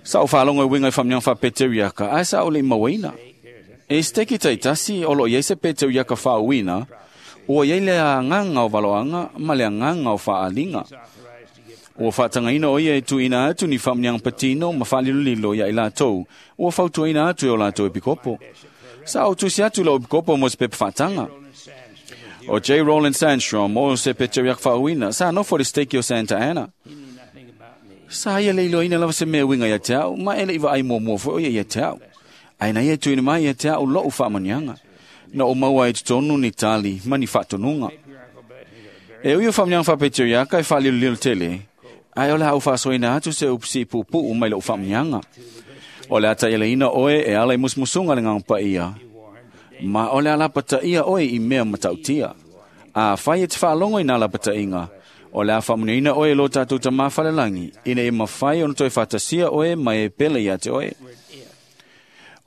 Sa ou faalogo e uiga i faamanuiaga faapeteriaka, ae sa ou le'i mauaina. E siteki taitasi o loo iai se peteriaka faauuina, ua iai le agaga o valoaga ma le agaga o faaaliga. Ua faatagaina o ia e tuuina atu ni faamanuiaga patino ma faalilolilo ia i latou, ua fautuaina atu e o latou epikopo. Sa ou tusi atu i lou epikopo mo se pepa faataga. O J. Roland Sandstrom o se peteriaka faauuina, sa nofo i le siteki o Santa Ana. Sa ia le iloaina lava se mea e uiga ia te au, ma e le'i vaai muamua foi o ia ia te au. Ae na ia e tuuina mai ia te au lo'u faamanuiaga. Na ou maua ai i totonu ni tali ma ni faatonuga. E ui o faamanuiaga faapeteriaka e faalilolilo tele, ae o le a ou faasoaina atu se upu siipuupuu mai lo'u faamanuiaga. O le a taialaina oe e ala i musumusuga le Agaga Paia, ma o le a lapataia oe i mea matautia. Afai e te faalogo i nā lapata'iga, o le a faamanuiaina oe e lo tatou Tamā falelagi, ina ia mafai ona toe faatasia oe ma e pele ia te oe.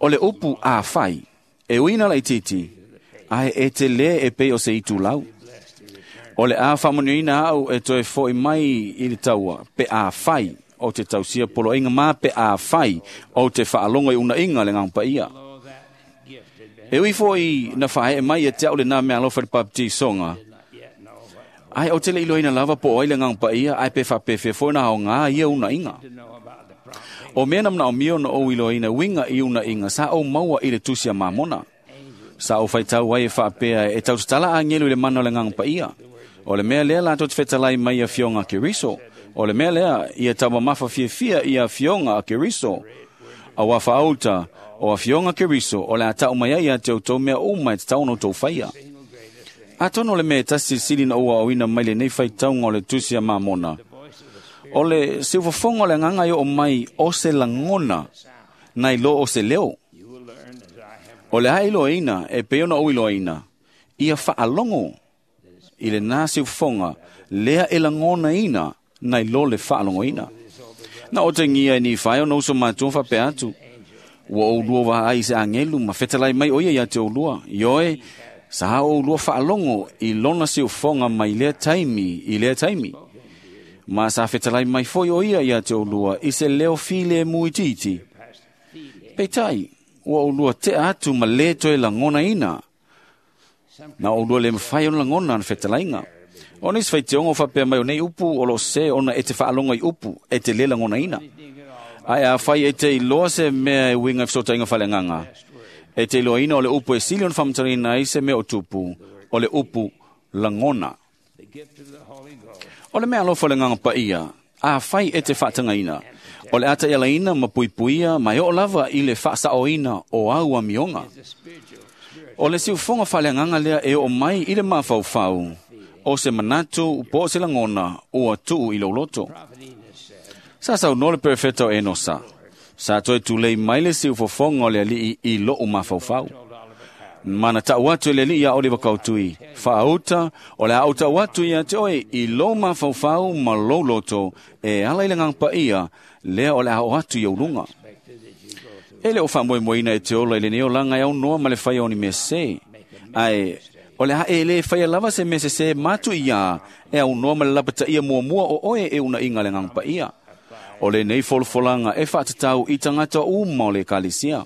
O le upu afai, e uiga laitiiti, ae e telē e pei o se itulau. O le a faamanuiaina a'u e toe fo'i mai i le taua, pe afai o te tausia poloaiga ma pe afai o te faalogo i uuna'iga a le Agaga Paia. E ui fo'i na faae'e mai ia te a'u lenā meaalofa i le papatisoga, ae ou te le'i iloaina lava po o ai le Agaga Paia ae pe faapefea foi ona aogā ia uuna'iga. O mea na manaomia ona ou iloaina uiga i uuna'iga sa ou maua i le tusi a Mamona. Sa ou faitau ai e faapea e tautatala agelu i le mana o le Agaga Paia. O le mea lea latou te fetalai mai i afioga a Keriso. O le mea lea ia taumamafa fiafia i afioga a Keriso. Auā faauta o afioga a Keriso o le a tau mai ai ia te outou mea uma e tatau ona outou faia. Atonu o le mea e tasi silisili na ou aoina mai lenei faitauga o le tusi a Mamona, o le siufofoga o le agaga e oo mai o se lagona nai lo o se leo. O le a iloaina e pei ona ou iloaina, ia faalogo i lena siufofoga lea e lagonaina nai lo le faalogoina. Na otegia e Nifai ona uso matua faapea atu, ua oulua vaai i se agelu ma fetalai mai o ia ia te oulua. Ioe, sa oulua faalogo i lona siufofoga mai lea taimi i lea taimi. Ma sa fetalai mai foi o ia ia te oulua i se leo filemu itiiti. Peitai, ua oulua tea atu ma le toe lagonaina. Na oulua le mafai ona lagona na fetalaiga. O nisi faitioga o faapea mai o nei upu o lo se ona e te faalogo i upu e te le lagonaina. Ae afai e te iloa se mea e uiga i fesootaiga faaleagaga, e te iloaina o le upu e sili ona faamatalaina ai se mea o tupu, o le upu lagona. O le mea alofa o le Agaga Paia, afai e te faatagaina, o le a taialaina ma puipuia ma e oo lava i le faasaoina o au amioga. O le siufofoga faaleagaga lea e oo mai i le mafaufau, o se manatu po o se lagona ua tuu i lou loto. Sa saunoa le perofeta o Enosa, sa toe tulei mai le siufofoga o le alii i lou mafaufau. Ma na tau atu e le alii ia Oliva Kautui, faauta o le a ou tau atu ia te oe i lou mafaufau ma lou loto e ala i le Agaga Paia lea o le a oo atu i ou luga. E le o faamoemoeina e te ola i lenei olaga e aunoa ma le faia o ni mea sese, ae o le a e le faia lava se mea sese matu ia e aunoa ma le lapataia muamua o oe e unaiga le Agaga Paia. O lenei folofolaga e faatatau i tagata uma o le ekalesia.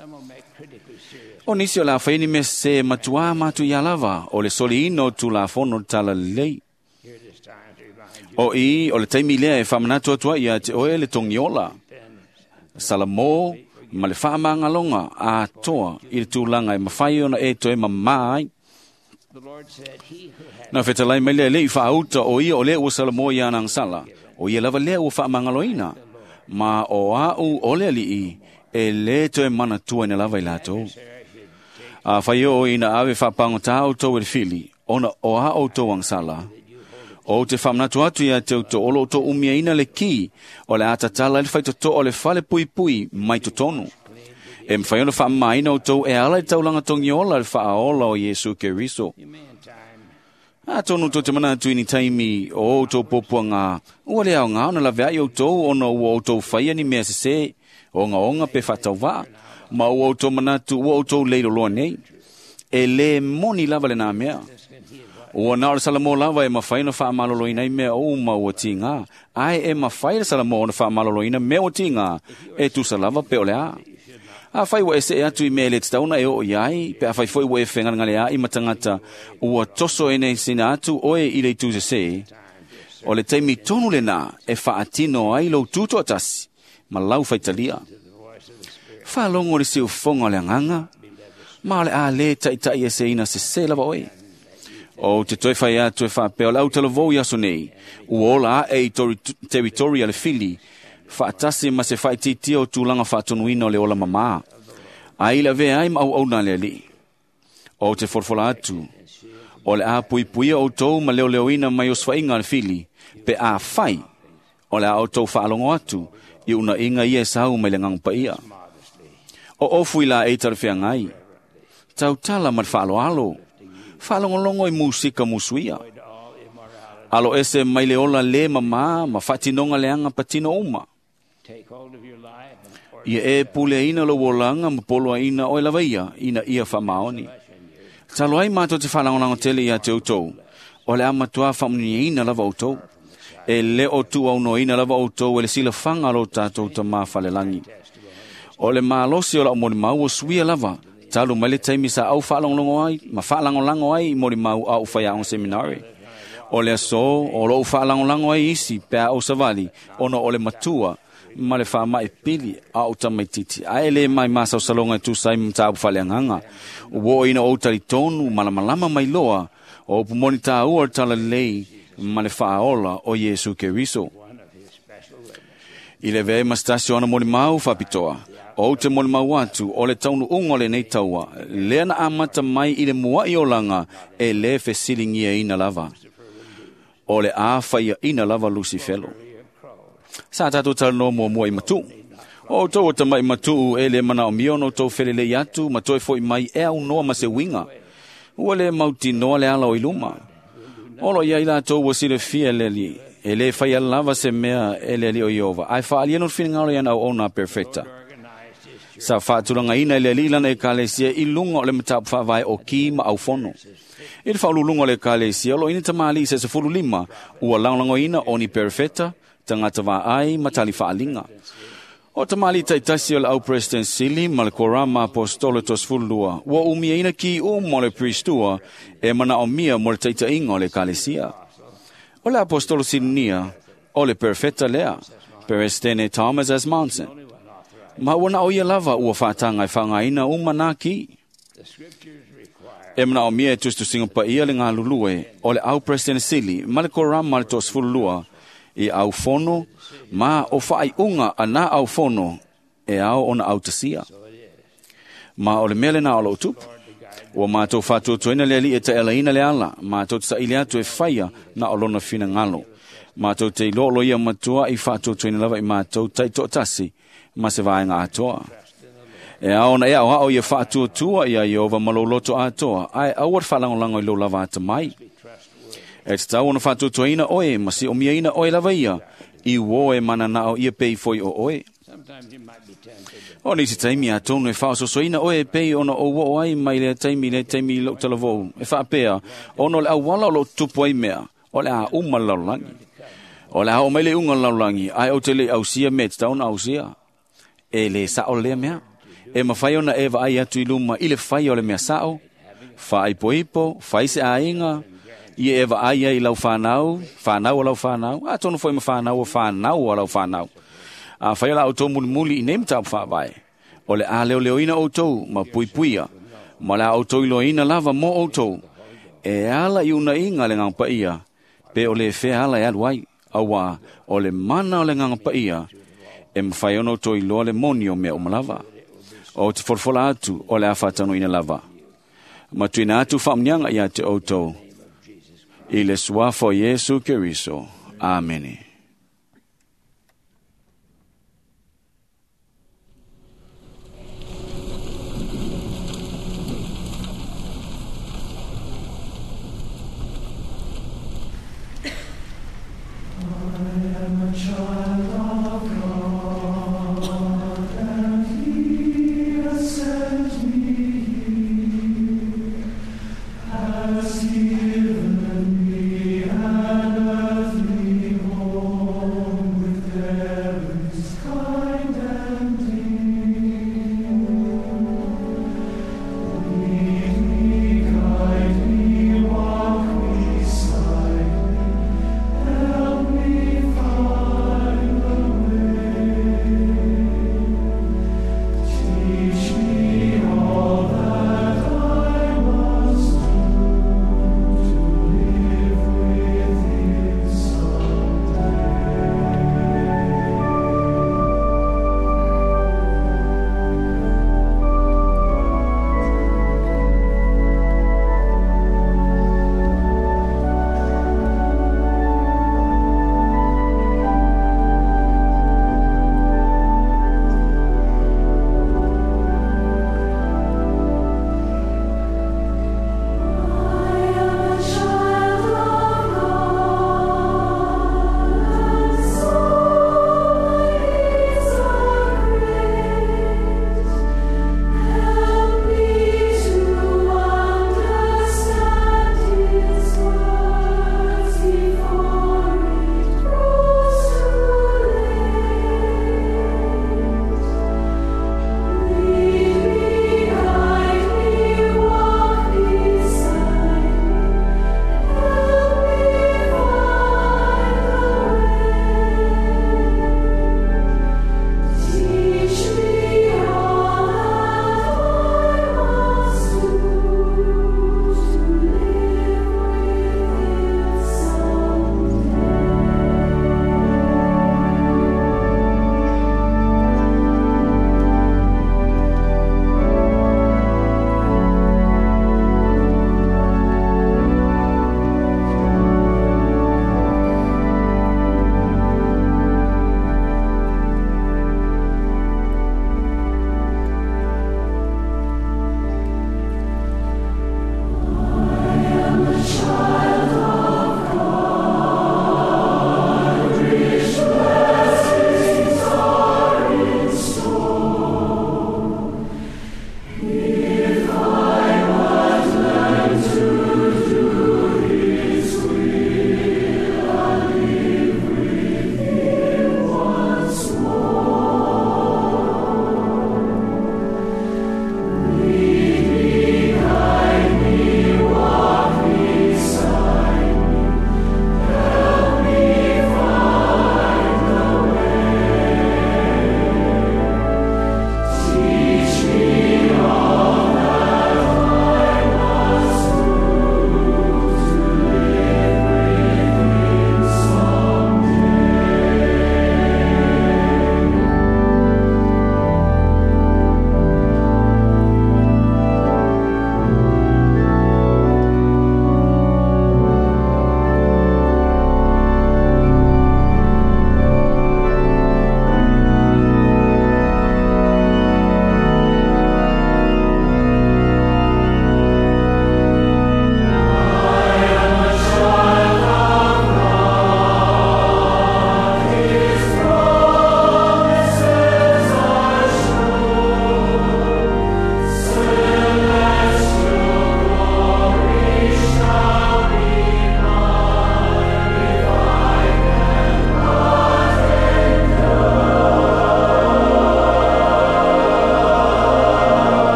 O nisi o le a faia ni mea sese matuā matu ia lava o le soliina o Tulafono Talalelei. O i o le taimi lea e faamanatu atu ai ia te oe le togiola, Salamo ma le faamagaloga atoa i le tulaga e mafai ona e toe mamā ai. Na fetalai mai le alii faauta o ia o lea ua Salamo ia ana agasala, o ia lava lea ua faamagaloina, ma o au o le alii e le toe manatuaina lava i latou. Afai oo ina ave faapagotā outou e le fili, ona o a outou agasala, ou te faamanatu atu ia te outou o lo outou umiaina le ki o le a tatala ai le faitotoa o le fale puipui mai totonu. E mafai ona faamamaina outou e ala i le taulaga togiola le faaola o Iesu Keriso. Atonu tou te manatu i ni taimi o outou puapuaga, ua le aoga ona laveai outou ona ua outou faia ni mea sese, ogaoga pe faatauvaa, ma ua outou manatu ua outou leiloloa nei. E le moni lava lenā mea. Ua na o le Salamo lava e mafai ona faamaloloina ai mea uma ua tigā, ae e mafai le Salamo ona faamaloloina mea ua tigā, e tusa lava pe o le a. Afai ua e see atu i mea e le tatau ona e oo i ai, pe afai foi ua e fegalegalea'i ma tagata ua toso e nei sina atu oe i le itu sesē, o le taimi tonu lenā e faatino ai lou tutoatasi ma lau faitalia. Faalogo le siufofoga o le agaga, ma o le a lē taita'i eseina sesē lava oe. Ou te toe fai atu e faapea o le autalavou i aso nei, ua ola ae i teritori a le fili, faatasi ma se faaitiitia o tulaga faatonuina o le ola mamā, ai le avea ai ma auauna a le alii. Ou te folafola atu, o le a puipuia outou ma leoleoina mai osofaiga a le fili, pe afai o le a outou faalogo atu i unaiga ia e sau mai le Agaga Paia. O ofu i laei talafeagai, tautala ma le faaaloalo, faalogologo i musika musuia. Alo ese mai le ola le mamā ma faatinoga leaga patino uma. Ia e puleaina lou olaga ma poloaina oe lava ia ina ia faamaoni. Talo ai matou te faalagolago tele ia te outou, o le a matuā faamuniaina lava outou. E le o tuuaunoaina lava outou e le silafaga a lo tatou Tamā falelagi. O le malosi o lau molimau ua suia lava, talu mai le taimi sa au faalogologo ai ma faalagolago ai i molimau a ou faiaoga seminari. O le aso o lou faalagolago ai isi pe a ou savali, ona o le matua Ma le faamaʻi pili a ou tamaititi ae lē mai masaosaloga e tusa ai ma mataupu faaleagaga. Ua oo ina ou talitonu malamalama mai loa o upu moni tāua o le talalelei ma le faaola o Iesu Keriso. I le avea ai ma se tasi o ana molimau faapitoa, ou te molimau atu o le taunuuga o lenei taua, lea na amata mai i le muaʻi olaga e lē fesiligiaina lava. O le a faiaʻina lava Lusifelo. Sa tatou talanoa muamua i matuʻu. O outou o tamaʻi matuʻu e lē manaʻomia ona outou felelei atu ma toe foʻi mai e aunoa ma se uiga. Ua lē mautinoa le ala o i luma. O lo o iai latou ua silafia e le Alii, e lē faia lava se mea e le Alii o Ieova, ae faaalia no le finagalo i ana auauna a perfeta. Sa faatulagaina e le Alii lana ekalesia i luga o le mataupu faavae o ki ma aufono. I le faauluuluga o le ekalesia, o lo o i ai ni tamalii se sefulu lima ua lagolagoina o ni perfeta, tagata vaai ma tali faaliga. O tamalii taitasi o le au president sili ma le korama apostolo tosefulu lua, ua umiaina ki uma o le priestua e manaʻomia mo le taitaʻiga o le ekalesia. O le apostolo silinia o le perfeta lea, Peresidene Thomas S. Monson. Ma ua na o ia lava ua faataga e faaaogaina uma nā ki. E manaʻomia e tusitusiga paia le galulue o le au president sili ma le korama le toasefulu lua i aufono ma o faaiuga a nā aufono e ao ona autasia. Ma o le mea lenā o loo tupu. Ua matou faatuatuaina le Alii e taʻialaina le ala, matou te saʻili atu e faia na o lona finagalo. Matou te iloa o lo ia matua i faatuatuaina lava i matou taitoatasi ma se vaega atoa. E ao ona e aoao ia faatuatua ia Ieova ma lou loto atoa, ae aua le faalagolago i lou lava atamai. E tatau ona faatuatuaina oe ma siʻomiaina oe lava ia, i uō e mananaʻo ia pei foi o oe. O nisi taimi atonu e faaososoina oe e pei ona ou oo ai mai lea taimi i lea taimi i lou talavou, e faapea, ona o le auala o loo tutupu ai mea, o le a uma le lalolagi. O le a oo mai le iuga o le lalolagi, ae ou te le i ausia mea e tatau ona ausia. E lē saʻo lea mea. E mafai ona e vaai atu i luma i le faia o le mea saʻo, faaipoipo, fai se aiga, ia e vaai ai i lau fanau, fanau o lau fanau, atonu foi ma fanau o fanau o lau fanau. Afai o la outou mulimuli i nei mataupu faavae, o le a leoleoina outou ma puipuia, ma le a outou iloaina lava mo outou, e ala i unaiga le Agaga Paia, pe o le fea ala e alu ai, auā o le mana o le Agaga Paia, e mafai ona outou iloa le moni o mea uma lava. O te folafola atu o le a faataunuuina lava. Ma tuuina atu faamuniaga ia te outou, i le suafa o Iesu Keriso. Amene. I am a child of God, and He has sent me here, has given me an earthly home.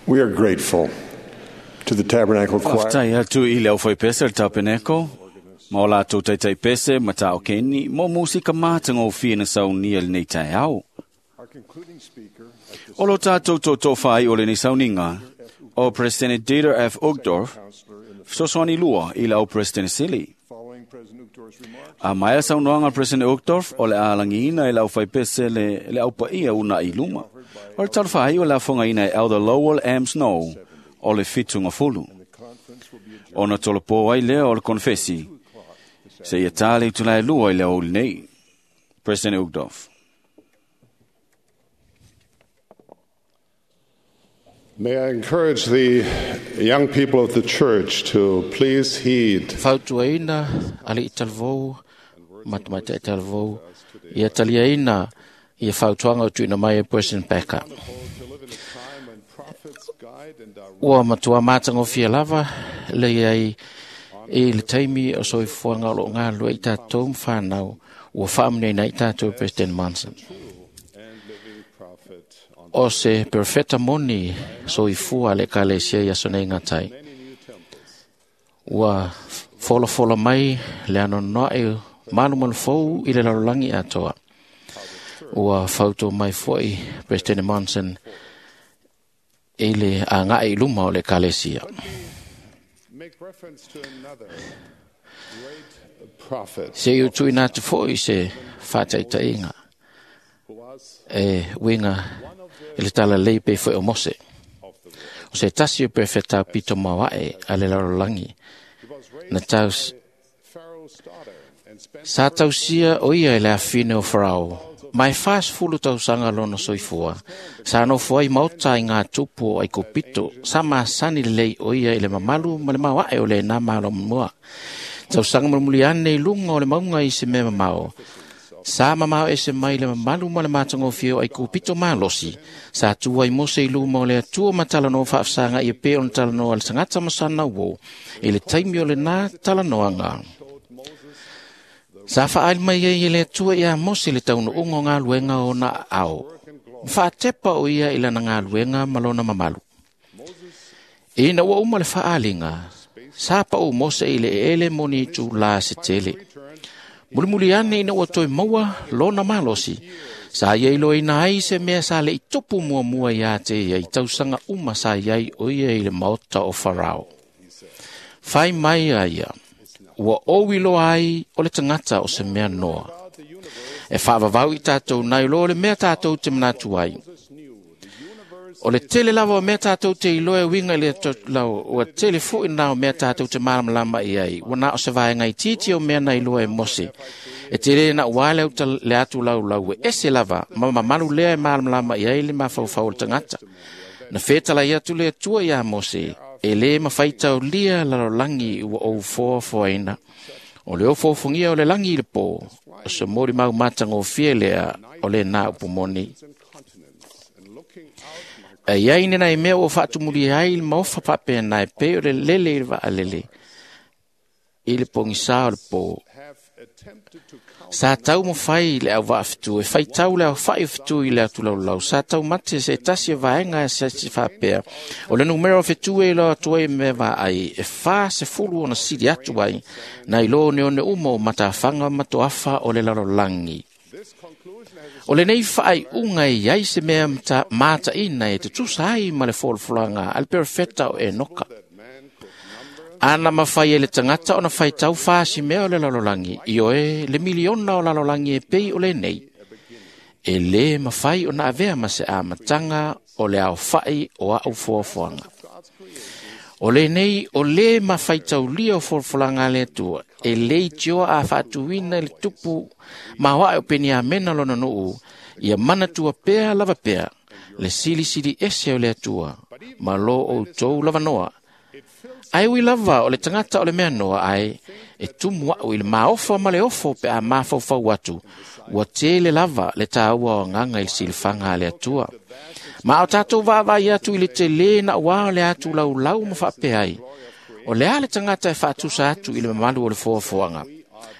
We are grateful to the Tabernacle Choir. Faafetai atu i le aufaipese o le tapeneko, ma o latou taitaipese ma taokeni mo musika matagofie na saunia i lenei taeao. O lo tātou tōtō o lenei sauniga, o President Dieter F. Uchtdorf, fesoasoani lua i le au President Sili. A maea saunoaga a President Uchtdorf o le alagiina i le aufaipese le, le aupaia unaʻi luma. O le talofa o le afogaina e Elder Lowell M. Snow o le fitugafulu. Ona tolopo ai lea o le konfesi, se ia tā le itula e lua i le aoauli nei. President Uchtdorf. May I encourage the young people of the church to please heed Fautuaina aliʻi talavou ma tamaitai talavou ia taliaina ia fautuaga o tuuina mai e President Packer. Ua matua matagofie lava le iai i le taimi o soifuaga o loo galulue ai tatou ma fanau ua faamanuiaina ai tatou e President Monson. O se perfeta moni soifua a le ekalesia i aso nei gatai. Ua folafola mai le anoanoaʻi malumalu fou i le lalolagi atoa. Ua fautua mai foʻi President Monson i le agaʻi i luma o le ekalesia. make reference to another great prophet Se i utuina atu foʻi se faataitaiga e uiga i le talalei pei foʻi o Mose. O se tasi o perfeta pito maoaʻe a le lalolagi na tau sa tausia o ia i le afine o Farao ma e fasefulu tausaga lona soifua. Sa nofo ai maota i ngā tupu o Aikupito, sa masani lelei o ia i le mamalu ma le maoaʻe o lenā malo mua. Tausaga mulimuli ane i luga o le mauga i se mea mamao. Sa mamao ese mai le mamalu ma le matagofie o Aikupito malosi. Sa tu ai Mose i luma o le Atua ma talanoa faafesaga ia pei ona talanoa a le tagata ma sana uō i le taimi o lenā talanoaga. Sa faaali mai ai e le Atua iā Mose le taunuuga o galuega o ona aao. Ma faatepa o ia i lana galuega ma lona mamalu. Ina ua uma le faaaliga, sa paʻu Mose i le eele moni itulā se tele. Mulimuli ane ina ua toe maua lona malosi, sa ia iloaina ai se mea sa leʻi tupu muamua iā te ia i tausaga uma sa iai o ia i le maota o Farao. Fai mai a ia, ua ou iloa ai o le tagata o se mea noa. E faavavau i tatou nai loa o le mea tatou te manatu ai. O le tele lava o mea tatou te iloa e uiga i le lau, ua tele foʻi na o mea tatou te malamalama i ai, ua na o se vaega itiiti o mea na iloa e Mose. E tele na ua le, uta, le atu laulau e ese lava, ma mamalu lea e malamalama i ai le mafaufau o le tagata. Na fetalai atu le Atua iā Mose, e lē mafaitaulia lalolagi ua ou foafoaina. O le ofoofogia o le lagi i le pō, o se molimau matagofie lea o lenā upu moni. E iai nenai mea ua faatumulia ai le maofa faapena e pei o le lele i le vaalele i le pogisā o le pō. Sa taumafai le auvaafetu e faitau le aofaʻi o fetu i le atulaulau. Sa taumate se tasi o vaega e se faapea. O le numera o fetu e iloa atu ai mea vaai e fa sefulu ona sili atu ai na ilo oneone uma o matafaga ma toafa o le lalolagi. O lenei faaiuga e iai se mea mataʻina e tutusa ai ma le folafolaga a le perofeta o Enoka. Ana mafai e le tagata ona faitau fasi mea o le lalolagi, ioe le miliona o lalolagi e pei o lenei. E lē mafai ona avea ma se amataga o le aofaʻi o aʻu foafoaga. O lenei o lē mafaitaulia o folafolaga a le Atua, e lē itioa a faatuina i le tupu maoaʻe o Peniamena lona nuu, ia manatua pea lava pea le silisili ese o le Atua, ma lo outou lavanoa. Ae ui lava o le tagata o le mea noa ae e tumu aʻu i le maofa ma le ofo pe a mafaufau atu, ua tele lava le tāua o agaga i le silafaga a le Atua. Ma o tatou vaavaai atu i le telē na uā o le atu laulau ma faapea ai, o le a le tagata e faatusa atu i le mamalu o le foafoaga.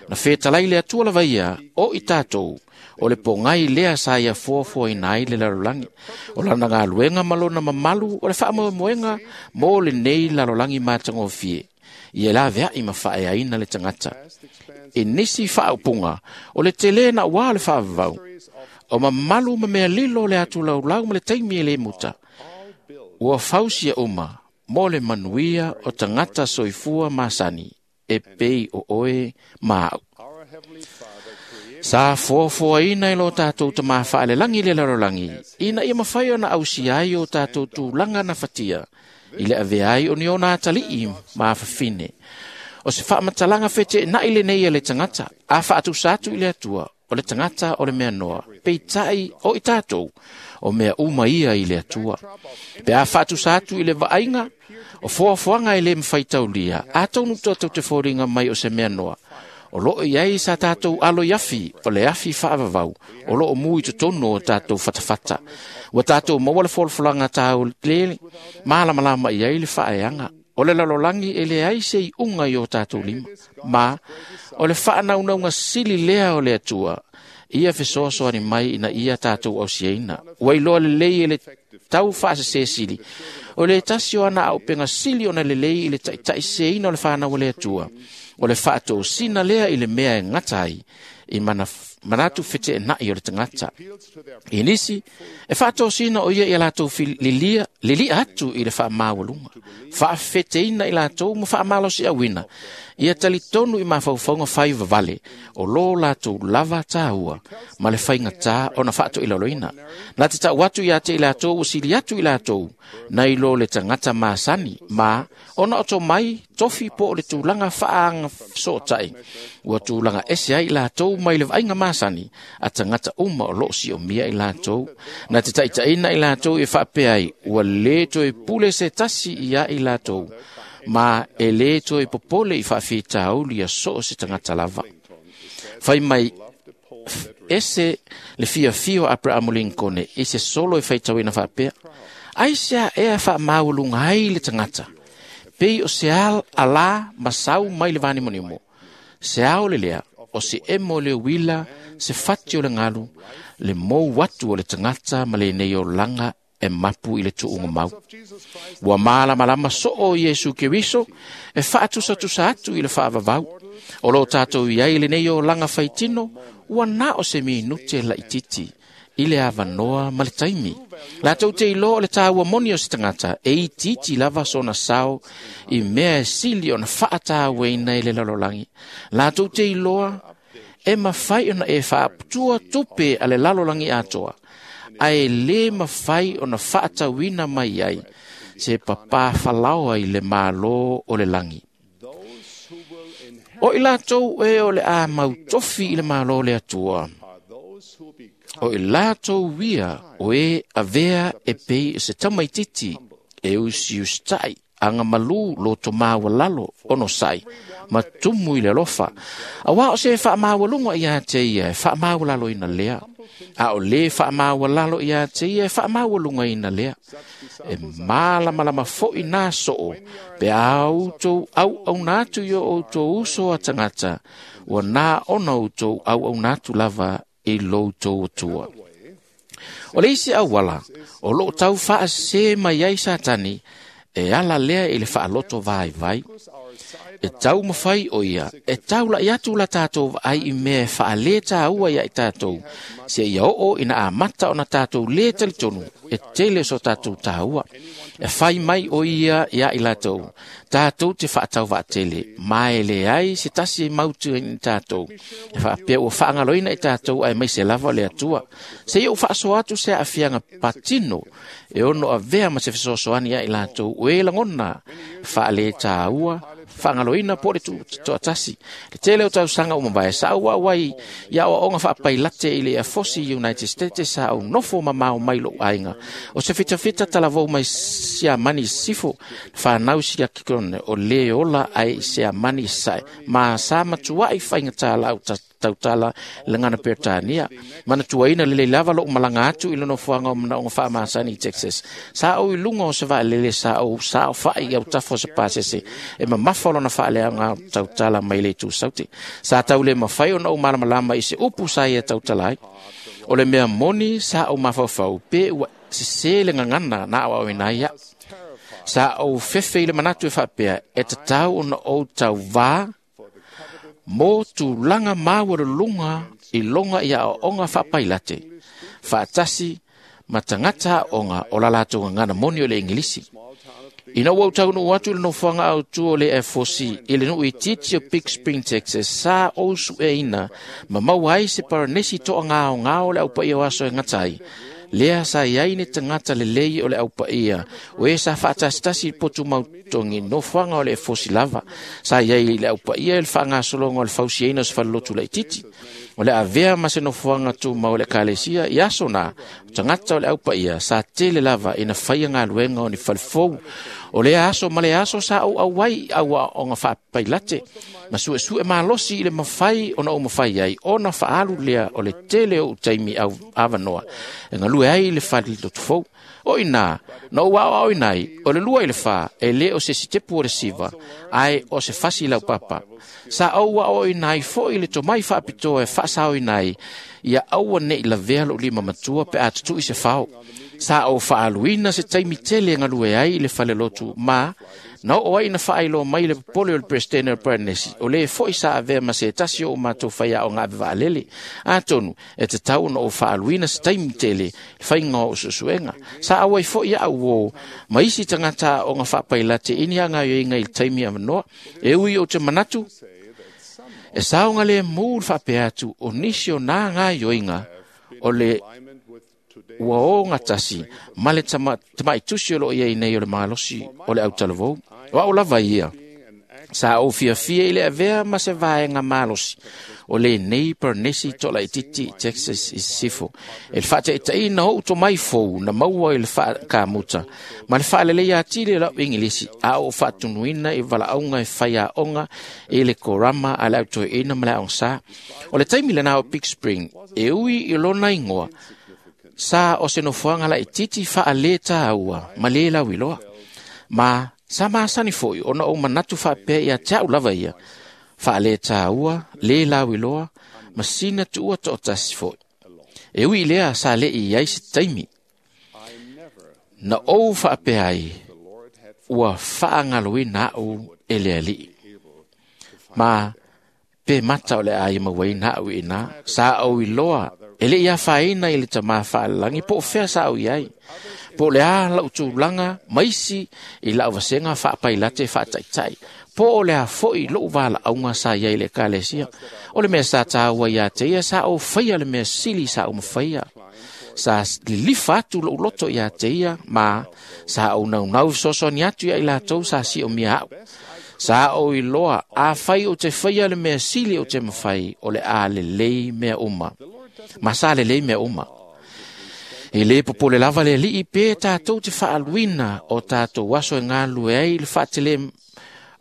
Na fetalai le Atua lava ia, o i tatou, O le pogai lea sa ia fuafuaina ai le lalolagi. O lana galuega ma lona mamalu o le faamoemoega mo lenei lalolagi matagofie. Ia laveai ma faaeaina le tagata. I nisi faaupuga, o le tele na ua le faavavau. O mamalu ma mea lilo le atu laulau ma le taimi e le muta. Ua fausia uma mo le manuia o tagata soifua masani e pei o oe ma au. Sa fuafuaina i lo tātou tamā whaalelagi le lalolagi, ina ia mawhai ona ausia ai o tātou tūlanga na fatia, i le avea ai o ni ona atalii ma awhawhine. O se whaamatalaga whete na ile nei e le tangata, a whaatusa atu i le atua, o le tangata o le mea noa, peitai o i tātou, o mea uma ia i le atua. Pe a whaatusa atu i le vaaiga, o fuafuaga e le mawhaitaulia, a taunu tātou te fōringa mai o se mea noa. O loo iai sa tātou alo i afi, o le afi whaavavau, o loo mui totonu o tātou whatawhata. Ua tātou maua le folfolanga tāu lele, mālamalama i ai le whaeanga. O le lalolagi e le ai se i unga i o tātou lima. Ma, o le whaanaunauga sili lea o le atua, ia fesoasoani mai ina ia tātou ausiaina. Ua iloa lelei e le tau whaasese sili. O le tasi o ana au penga sili ona lelei i le taitai seina o le whanau o le atua. O le whaatōsina lea i le mea e ngata ai, i mana, manatu fete e nai o le tangata. I nisi, e whaatōsina o ia i a lātou lilia, lilia atu i le whaamawalunga. Whaafeteina i lātou ma whaamalosi awina. Ia talitonu i mawhaufaunga whai vavale, o lō lātou lava tāua, ma le whainga tā ona whaato i laloina. Nā te tau atu i a te i lātou, o sili atu i lātou, nei lo le tangata masani, ma ona oto mai, tofi po o le tūlanga whaanga sootai. Ua tūlanga ese ai i lātou mai le vainga masani, a tangata uma o loo si o mia i lātou. Nā te taitaina i lātou e whaapea ai, ua le toe pule se tasi ia i lātou, ma e le toe popole i whaawhitauli a soo se tangata lava. Whai mai ese le fia fio Abraham Lincoln e se solo e whaitawina whaapea, ai sea ea whaamawalunga ai le tangata. Pei o se al ala masau mai le vanimonimo. Se ao le lea, o se emo le wila, se fati o le ngalu, le mou atu o le tangata ma le nei o langa e mapu i le tuunga mau. Ua mālamalama soo Iesu Keriso, e whaatusatusa atu i le whaavavau. O lo tātou iai le nei o langa whaitino, ua na o se minute la ititi, i le avanoa ma le taimi. Lātou te iloa o le tāua moni o se tangata, e itiiti lava sona sao, i mea e sili ona whaatāueina i le lalolagi. Lātou te iloa, e mawhai ona e whaaputua tupe a le lalolagi atoa, a e le mawhai ona whaatauina mai ai, se papā whalaoa i le mālō o le langi. O i lātou e o le a mautofi i le mālō le atua. O i lātou wia o e avea e pei se tamaititi e usi ustai anga malu lo to mawalalo ono sai ma tumu i le alofa. A wā o se whaamawalunga i a te ia e whaamawalalo ina lea. A o le whaamawalalo i a te ia e whaamawalunga ina lea. E mālamalama foi nā soo pe a outou au au nātu i o outou uso a tangata ua nā ona outou au au nātu lava i loutou atua. O le isi auala, o loo tau whaase mai ai satani, e ala lea i le whaaloto vai vai. E tau mawhai o ia, e tau la iatu la tātou ai i mea e whaale tāua ia i tātou, se ia oo ina a mata ona tātou le talitonu, e tele so tātou tāua. E whai mai o ia ia i lātou, tātou te whaatau waatele, mai le ai se tasi e mautu i tātou. E whaapea ua whaangaloina i tātou ai mai se lava o le atua. Se ia u whaaso atu se awhianga patino, e ono a vea ma se fesoasoani ia i lātou, o e langona, whaale tāua, whaangaloina po le tuatasi. Le tele o tausanga umambae sa au au ai ia o onga whaapailate i le afosi United States sa au nofo mamao mai lo ainga. O se fita fita talavou mai sia mani sifo whanau sia kikone o le ola ai sia mani sai. Ma sa matuai whainga tā lau tautala le ngana Peretania. Manatuaina lelei lava lo'u malaga atu i le nofoaga o manaoga faamasani i Texas. Sa ou i luga o se vaalele sa ou saofa'i i autafa o se pasese e mamafa o lona faaleaga tautala mai le itu saute. Sa tau le mafai ona ou malamalama i se upu sa ia tautala ai. O le mea moni sa ou mafaufau pe ua sesē le gagana na aoaoina ai a'u. Sa ou fefe i le manatu e faapea e tatau ona ou tauvā mo tulaga maualuluga i loga i aoaoga faapailate faatasi ma tagata aoga o la latou gagana moni o le Igilisi. Ina ua ou taunuu atu i le nofoaga autū o le Air Force i le nuu itiiti o Big Spring, Texas, sa ou sueina ma maua ai se paranesi toagaogao o le aupaia o aso e gata ai. Lea sa iai ni tagata lelei o le aupaia, o e sa faatasitasi i potu mautogi nofoaga o le efosi lava. Sa iai i le aupaia i le faagasologa o le fausiaina o se falelotu laititi. O le avea ma se nofoaga tumau o le ekalesia i aso na, o tagata o le aupaia sa tele lava ina faia galuega o ni falefou. O lea aso ma le aso sa ou auai i auaoga faapailate, ma suesue malosi i le mafai ona ou mafai ai ona faaalu lea o le tele o ou taimi au avanoa e galue ai i le falelotu fou. O ina, na ou aoaoina ai, o le lua i le fā, e lē o se sitepu o le siva, ae o se fasi laupapa. Sa ou aoaoina ai fo'i le tomai faapitoa e faasaoina ai, ia aua ne'i lavea lo'u lima matua pe a tutu'i se fao. Sa ou faaaluina se taimi tele e galue ai i le falelotu ma na oo ai ina faailoa mai le popole o le Peresetene o le Paranesi, o lē fo'i sa avea ma se tasi o ou matou faiaoga ave vaalele. Atonu e tatau ona ou faaaluina se taimi tele le faiga o o'u suesuega. Sa auai fo'i a'u uō ma isi tagata aoga faapailate i ni agaioiga i le taimi avanoa. E ui ou te manatu e saogalēmū le faapea atu o nisi o nā gaioiga o le ua ogatasi ma le tamaitusi o loo iai nei o le malosi o le autalavou. O a'u lava ia, sa ou fiafia i le avea ma se vaega malosi o lenei paranesi to'alaititi Texas i sisifo. E le faataʻitaʻina o'u tomai fou na maua i le faakamuta ma le faaleleia atili o la'u Igilisi a ou faatunuina i valaauga e faiaoga i le korama a le autoeʻina ma le aogasā. O le taimi lenā o Big Spring, e ui i lona igoa, sa o se nofoaga laititi faalē tāua ma lē lauiloa. Ma sa masani fo'i ona ou manatu faapea ia te a'u lava ia, faalē tāua, lē lauiloa, ma sina tuua to'atasi fo'i. E ui i lea sa le'i i ai se taimi. Na ou faapea ai, ua faagaloina a'u e le Ali'i. Ma pe mata o le a ia mauaina a'u iinā, sa ou iloa e le'i afaina i le tamā faalelagi po o fea sa ou i ai. Po o le a la'u tulaga ma isi i la'u vasega faapailate faata'ita'i. Po o le a fo'i lo'u valaauga sa iai i le ekalesia. O le mea sa tāua iā te ia sa ou faia le mea sili sa ou mafaia. Sa lilifa atu lo'u loto iā te ia ma sa ou naunau fesoasoani atu ia i latou sa si'omia a'u. Sa ou iloa afai ou te faia le mea sili ou te mafai o le a lelei mea uma. Ma sa lelei mea uma. E lē popole lava le Ali'i pe tatou te faaluina o tatou aso e galulue ai i le faatelē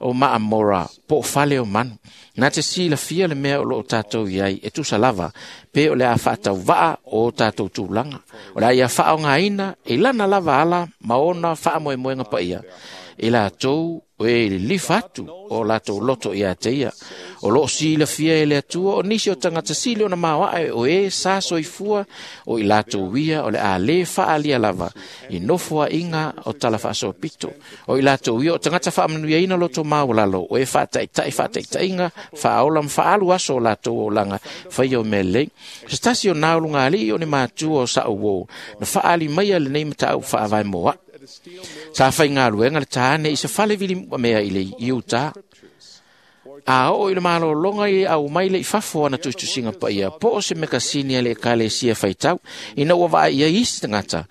o Maamora po o fale o manu. Na te silafia le mea o loo tatou i ai e tusa lava pe o le a faatauvaa o tatou tulaga. O le a ia faaogaina e lana lava ala ma ona faamoemoega paia i latou o e lilifa atu o latou loto iā te ia. O loo silafia e le Atua o nisi o tagata sili ona maoaʻe o e sa soifua o i latou ia o le a lē faaalia lava i nofoaʻiga o tala faasoapito. O i latou ia o tagata faamanuiaina loto maualalo o e faataʻitaʻi faataʻitaʻiga faaola ma faaalu aso o latou olaga faia o mea lelei. Se tasi o naulugalii o ni matua o sa'u uō na faaali maia lenei mataupu faavae mo a'u. Sa faigaluega le tāne i se fale vili mea i le i Utah. A oo i le malologa i au mai le i fafo ana tusitusiga paia po o se mekasini a le ekalesia faitau ina ua vaai ai isi tagata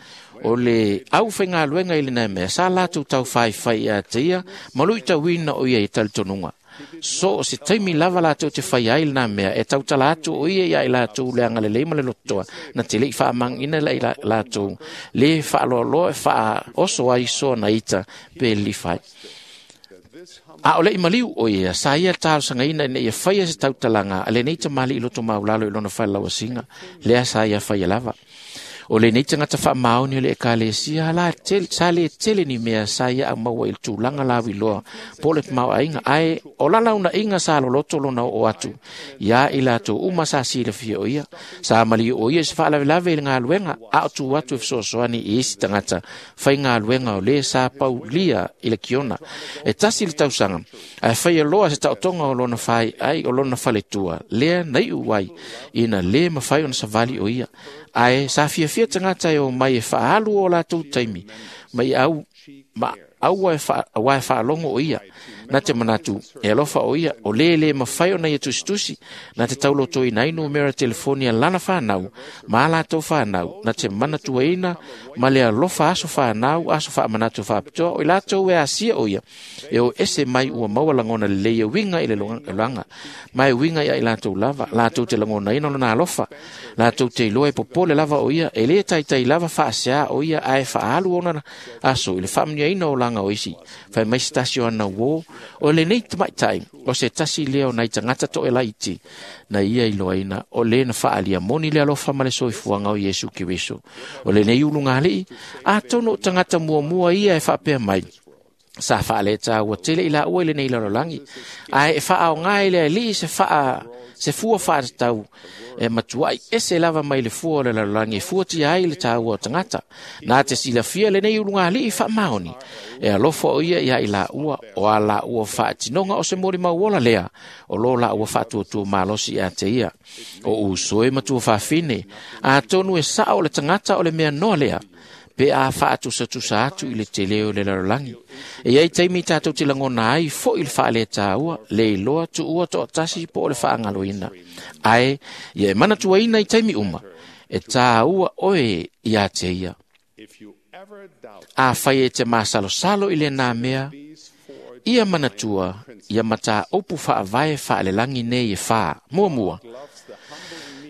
o le au faigaluega i lenā mea sa latou taufaifai iā te ia ma luitauina o ia i talitonuga. So o se taimi lava latou te faia ai lenā mea e tautala atu o ia ia i latou le agalelei ma le lotoa na te le'i faamagiina la i latou lē faaloaloa e faaoso ai soa na ita pe lilifa ai. A o le i maliu o ia, sa ia talosagaina ina ia faia se tautalaga a lenei tamalii loto maulalo i lona falelauasiga, lea sa ia faia lava. O lenei tagata faamaoni o le ekalesia la tele, sa le tele ni mea sa ia aumaua i le tulaga lauiloa po o le tamaoaiga, ae o lalaunaiga sa loloto lona oo atu ia i latou uma sa silafia o ia. Sa maliu o ia i se faalavelave i le galuega, a o tu atu e fesoasoani i isi tagata faigaluega o lē sa paulia i le kiona. E tasi le tausaga, ae faia loa se taotoga o lona faiai o lona faletua, lea na iu ai ina lē mafai ona savali o ia. Ae sa fiafia tagata e o mai e faaalu o latou taimi, mai au, ma aua e fa, aua e faalogo o ia. Na te manatu, e alofa o ia, o lē lē mafai ona ia tusitusi, na te taulotoina ai numera telefoni a lana whanau, ma a latou whanau, na te manatuaina ma le alofa aso whanau, aso whaamanatu whaapitoa, o i latou e asia o ia, e o ese mai ua maua langona lelei e winga i le longa, ma e winga ia i latou lava, latou te langonaina lona alofa, latou te iloa e popole lava o ia, e le taitai lava faasea o ia, ae faaalu ona aso i le faamanuiaina o laga o isi, fai mai se tasi o ana uō, o lenei tamaitai, o se tasi lea o nai tagata to'elaiti, na ia iloaina, o lē na faaalia moni le alofa ma le soifuaga o Iesu Keriso. O lenei ulugalii, atonu o tagata muamua ia e faapea mai, sa faaletaua tele i laua i lenei lalolagi, ae e faaaoga i le alii se faa se fua faatatau e matuai ese lava mai le fua o le lalolagi e fuatia ai le taua o tagata. Na te silafia lenei ulugalii faamaoni, e alofa o ia ia i laua, o a laua faatinoga o se molimau ola lea, o lo laua faatuatua malosi ia te ia. O uso e matua faafine, atonu e sao o le tagata o le mea noa lea, pe a faatusatusa atu i le tele o le lalolagi. E iai taimi tatou te lagona ai fo'i le faaletaua, le iloa tuua to'atasi po o le faagaloina. Ae ia e manatuaina i taimi uma, e tāua oe ia te ia. Afai e te masalosalo i lenā mea, ia manatua, ia matāupu faavae faalelagi nei e fā. Muamua,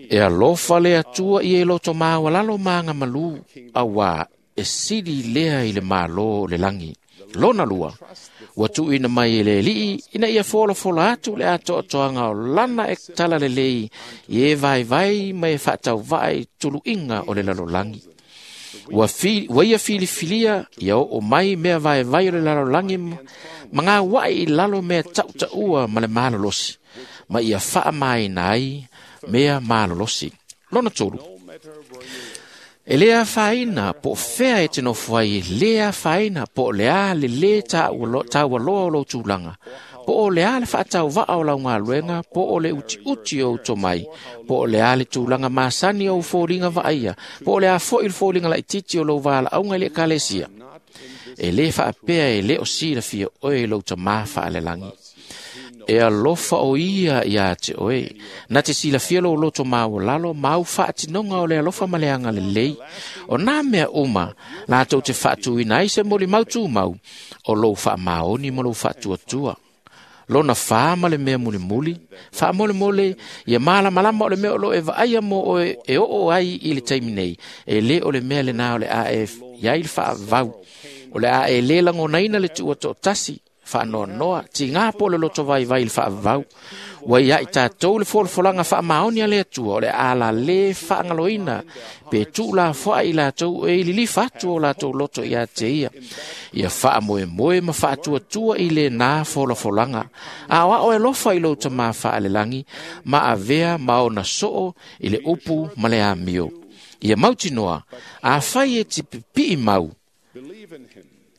e alofa le Atua i e loto maualalo ma agamalū, auā e sili lea i le mālō o le lagi. Lona lua, ua tuuina mai e le alii ina ia folafola atu le atoatoaga o lana e talalelei i e vaivai ma e faatauvaa i tuluiga o le lalolagi. Ua, fi, ua ia filifilia ia oo mai mea vaevai o le lalolagi ma gaua'i i lalo mea tautaua ma le malolosi, ma ia faamaina ai mea malolosi. Lona tolu, e le afaina po o fea e te nofo ai, e le afaina po o le a le lē taualoa o lou tulaga, po o le a le faatauvaa o lau galuega, po o le utiuti o ou tomai, po o le a le tulaga masani o ou foliga vaaia, po o le a fo'i le foliga laitiiti o lou valaauga i le ekalesia. E lē faapea e lē o silafia oe i lou tamā faalelagi. E alofa o ia ia te oe, na te silafia lou loto maualalo ma au faatinoga o le alofa ma le agalelei. O nā mea uma, latou te faatuina ai se molimau tumau, o lou faamaoni ma lou faatuatua. Lona whā ma le mea mulimuli, faamolemole, ia malamalama o le mea o lo e vaaia mo oe e oo ai i le taimi nei, e le o le mea lenā o le a e iai le faavau, o le a e le lagonaina le tuua to'atasi, faanoanoa, tigā po o le loto vaivai i le faavavau. Ua ia i tatou le folafolaga faamaoni a le Atua, o le a lalē faagaloina, pe tuu lafoai i latou e ililifa atu o latou loto ia te ia. Ia faamoemoe ma faatuatua i lenā folafolaga. A o ao e alofa i lou tamā faalelagi, ma avea ma ona soo i le upu ma le amio. Ia mautinoa, afai e te pipii mau,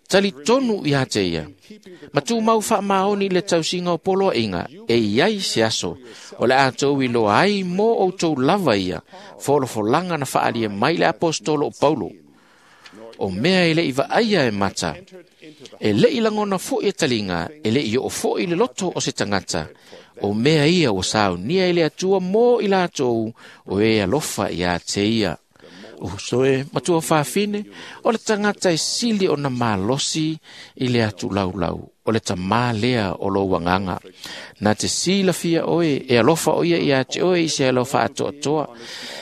talitonu ia te ia. Ma tumau faamaoni i le tausiga o poloaiga, e iai se aso, o le a tou iloa ai mo outou lava ia, folafolaga na faalia mai le apostolo o Paulo. O mea e le'i vaaia e mata, e le'i lagona fo'i e taliga, e le'i oo fo'i le loto o se tagata, o mea ia ua saunia i le Atua mo i latou o e alofa ia te ia. Uso e matua faafine, o le tagata e sili ona malosi i le atu laulau. o le tamā lea o lou agaga. Na te silafia oe e alofa o ia ia te oe i se alofa atoatoa.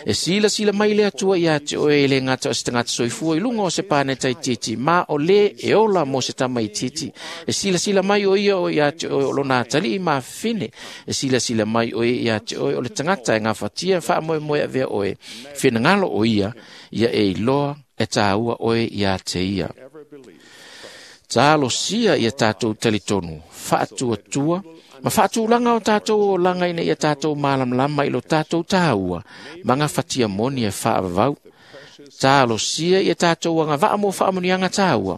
E silasila mai le Atua ia te oe e le gata o se tagata soifua i luga o se paneta itiiti, ma o le e ola mo se tama itiiti. E silasila mai o ia o ia te oe o lona atalii mafafine. E silasila mai o ia ia te oe o le tagata e gafatia faamoemoe avea oe. Finagalo o ia, ia e iloa e tāua oe ia te ia. Talosia ia tātou talitonu, faatuatua, ma faatulaga o tātou olaga ina ia tātou malamalama i lo tātou tāua, ma gafatia moni e faavavau. Talosia ia tātou agavaa mo faamuniaga tāua,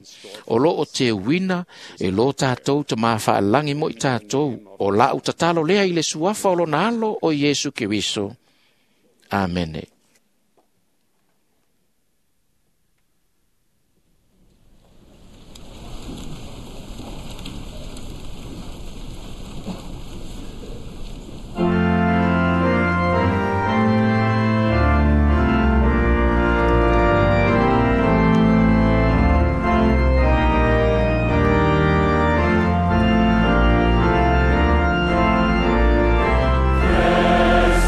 o loo teuina e lo tātou tamā faalagi mo i tātou, o lau tatalo lea i le suafa o lona alo o Iesu Keriso. Amene.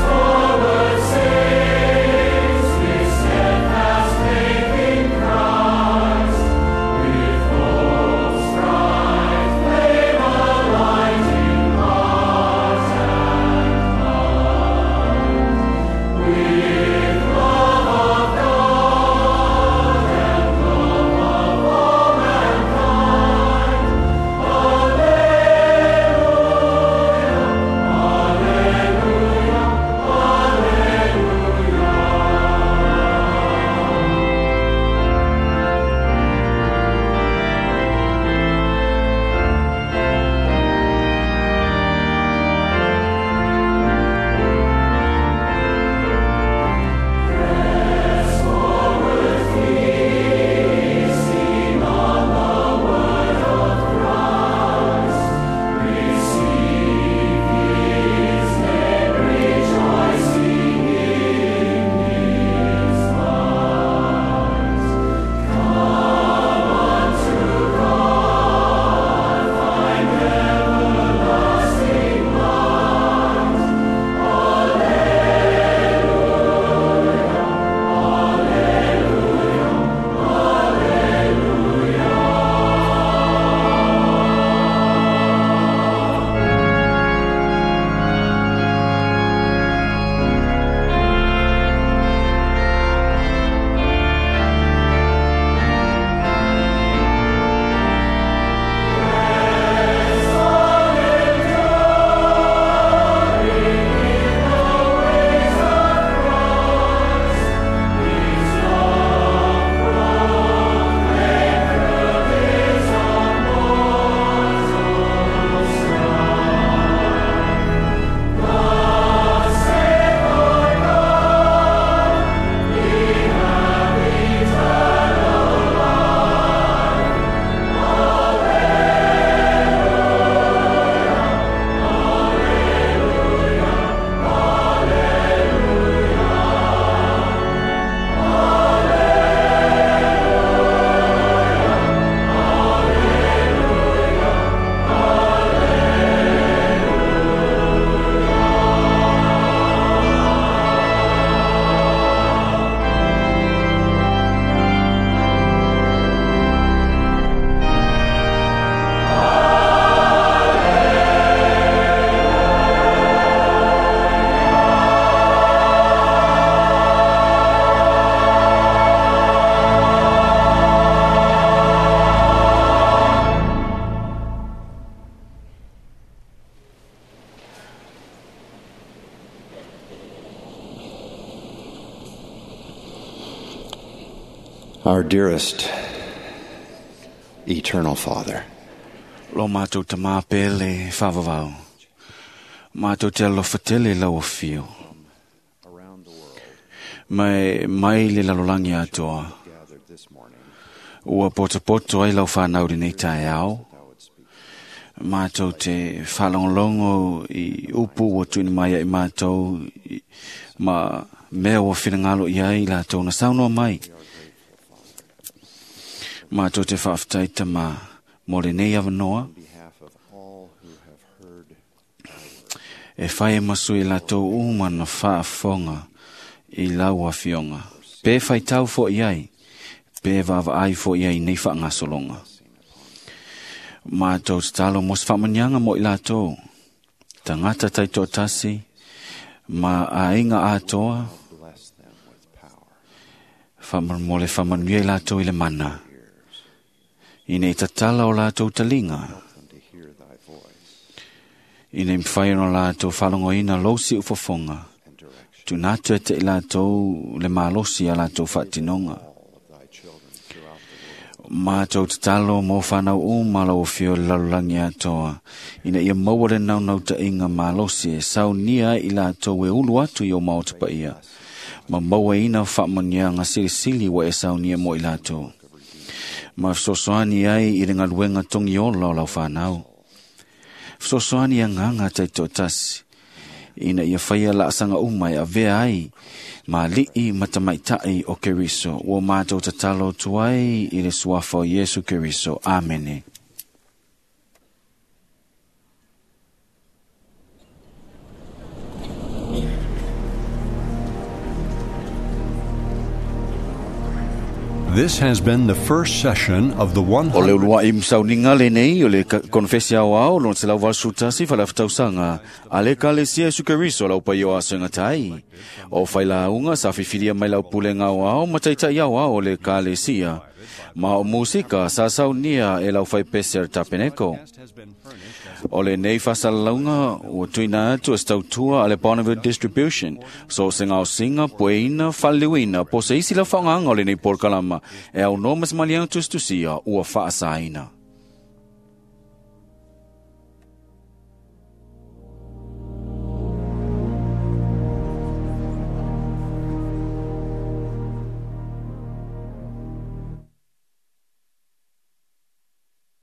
Forward, saints, Our dearest eternal Father, Lo mātou ta māpele whawawau. Mātou te alofa tele lau o whio. Mai, mai le lalolangi atoa. Ua poto ai lau whanau nei tae ao. Mātou te whalongolongo i upu ua tuini mai ai mātou i, ma mea ua whirangalo i ai la tōna saunoa mai. Mātou te whaaftai tama mō le nei awanoa. E fai e masu i latou uma na faafofoga i lau afioga. Pe faitau fo'i ai, pe vaavaai fo'i ai nei faagasologa. Matou tatalo mo se faamanuiaga mo i latou, tagata taitoatasi ma aiga atoa, mo le faamanuia i latou i le mana, ina i tatala o latou taliga, ina i mafai ona latou faalogoina lou siufofoga, tuuina atu e te i latou le malosi a latou faatinoga. Matou tatalo mo fanau uma lau afio i le lalolagi atoa, ina ia maua le naunautaiga malosi e saunia ai i latou e ulu atu i o maota paia, ma mauaina faamanuiaga silisili ua e saunia mo i latou. Ma fesoasoani ai i le galuega togiola o lau fanau. Fesoasoani agaga taitoatasi, ina ia faia laasaga uma e avea ai ma alii ma tamaitai o Keriso. Ua matou tatalo atu ai i le suafa o Iesu Keriso. Amene. This has been the first session of the O le uluai masauniga lenei o le konfesi aoao lona selau valu tasi faleafetausaga a le Ekalesia Iesu Keriso lau paia o asoga tai. O failauga sa fifilia mai lau pulega aoao ma taitai aoao o le Ekalesia. Ma o musika sa saunia e lau faipese a le Tapeneko. O lenei faasalalauga ua tuuina atu e se tautua a le Bonneville Distribution, so o se gaosiga, pueina, faaliliuina po o se isi lau faaaogaga o lenei polokalama e aunoa ma se maliega tusitusia ua faasaina.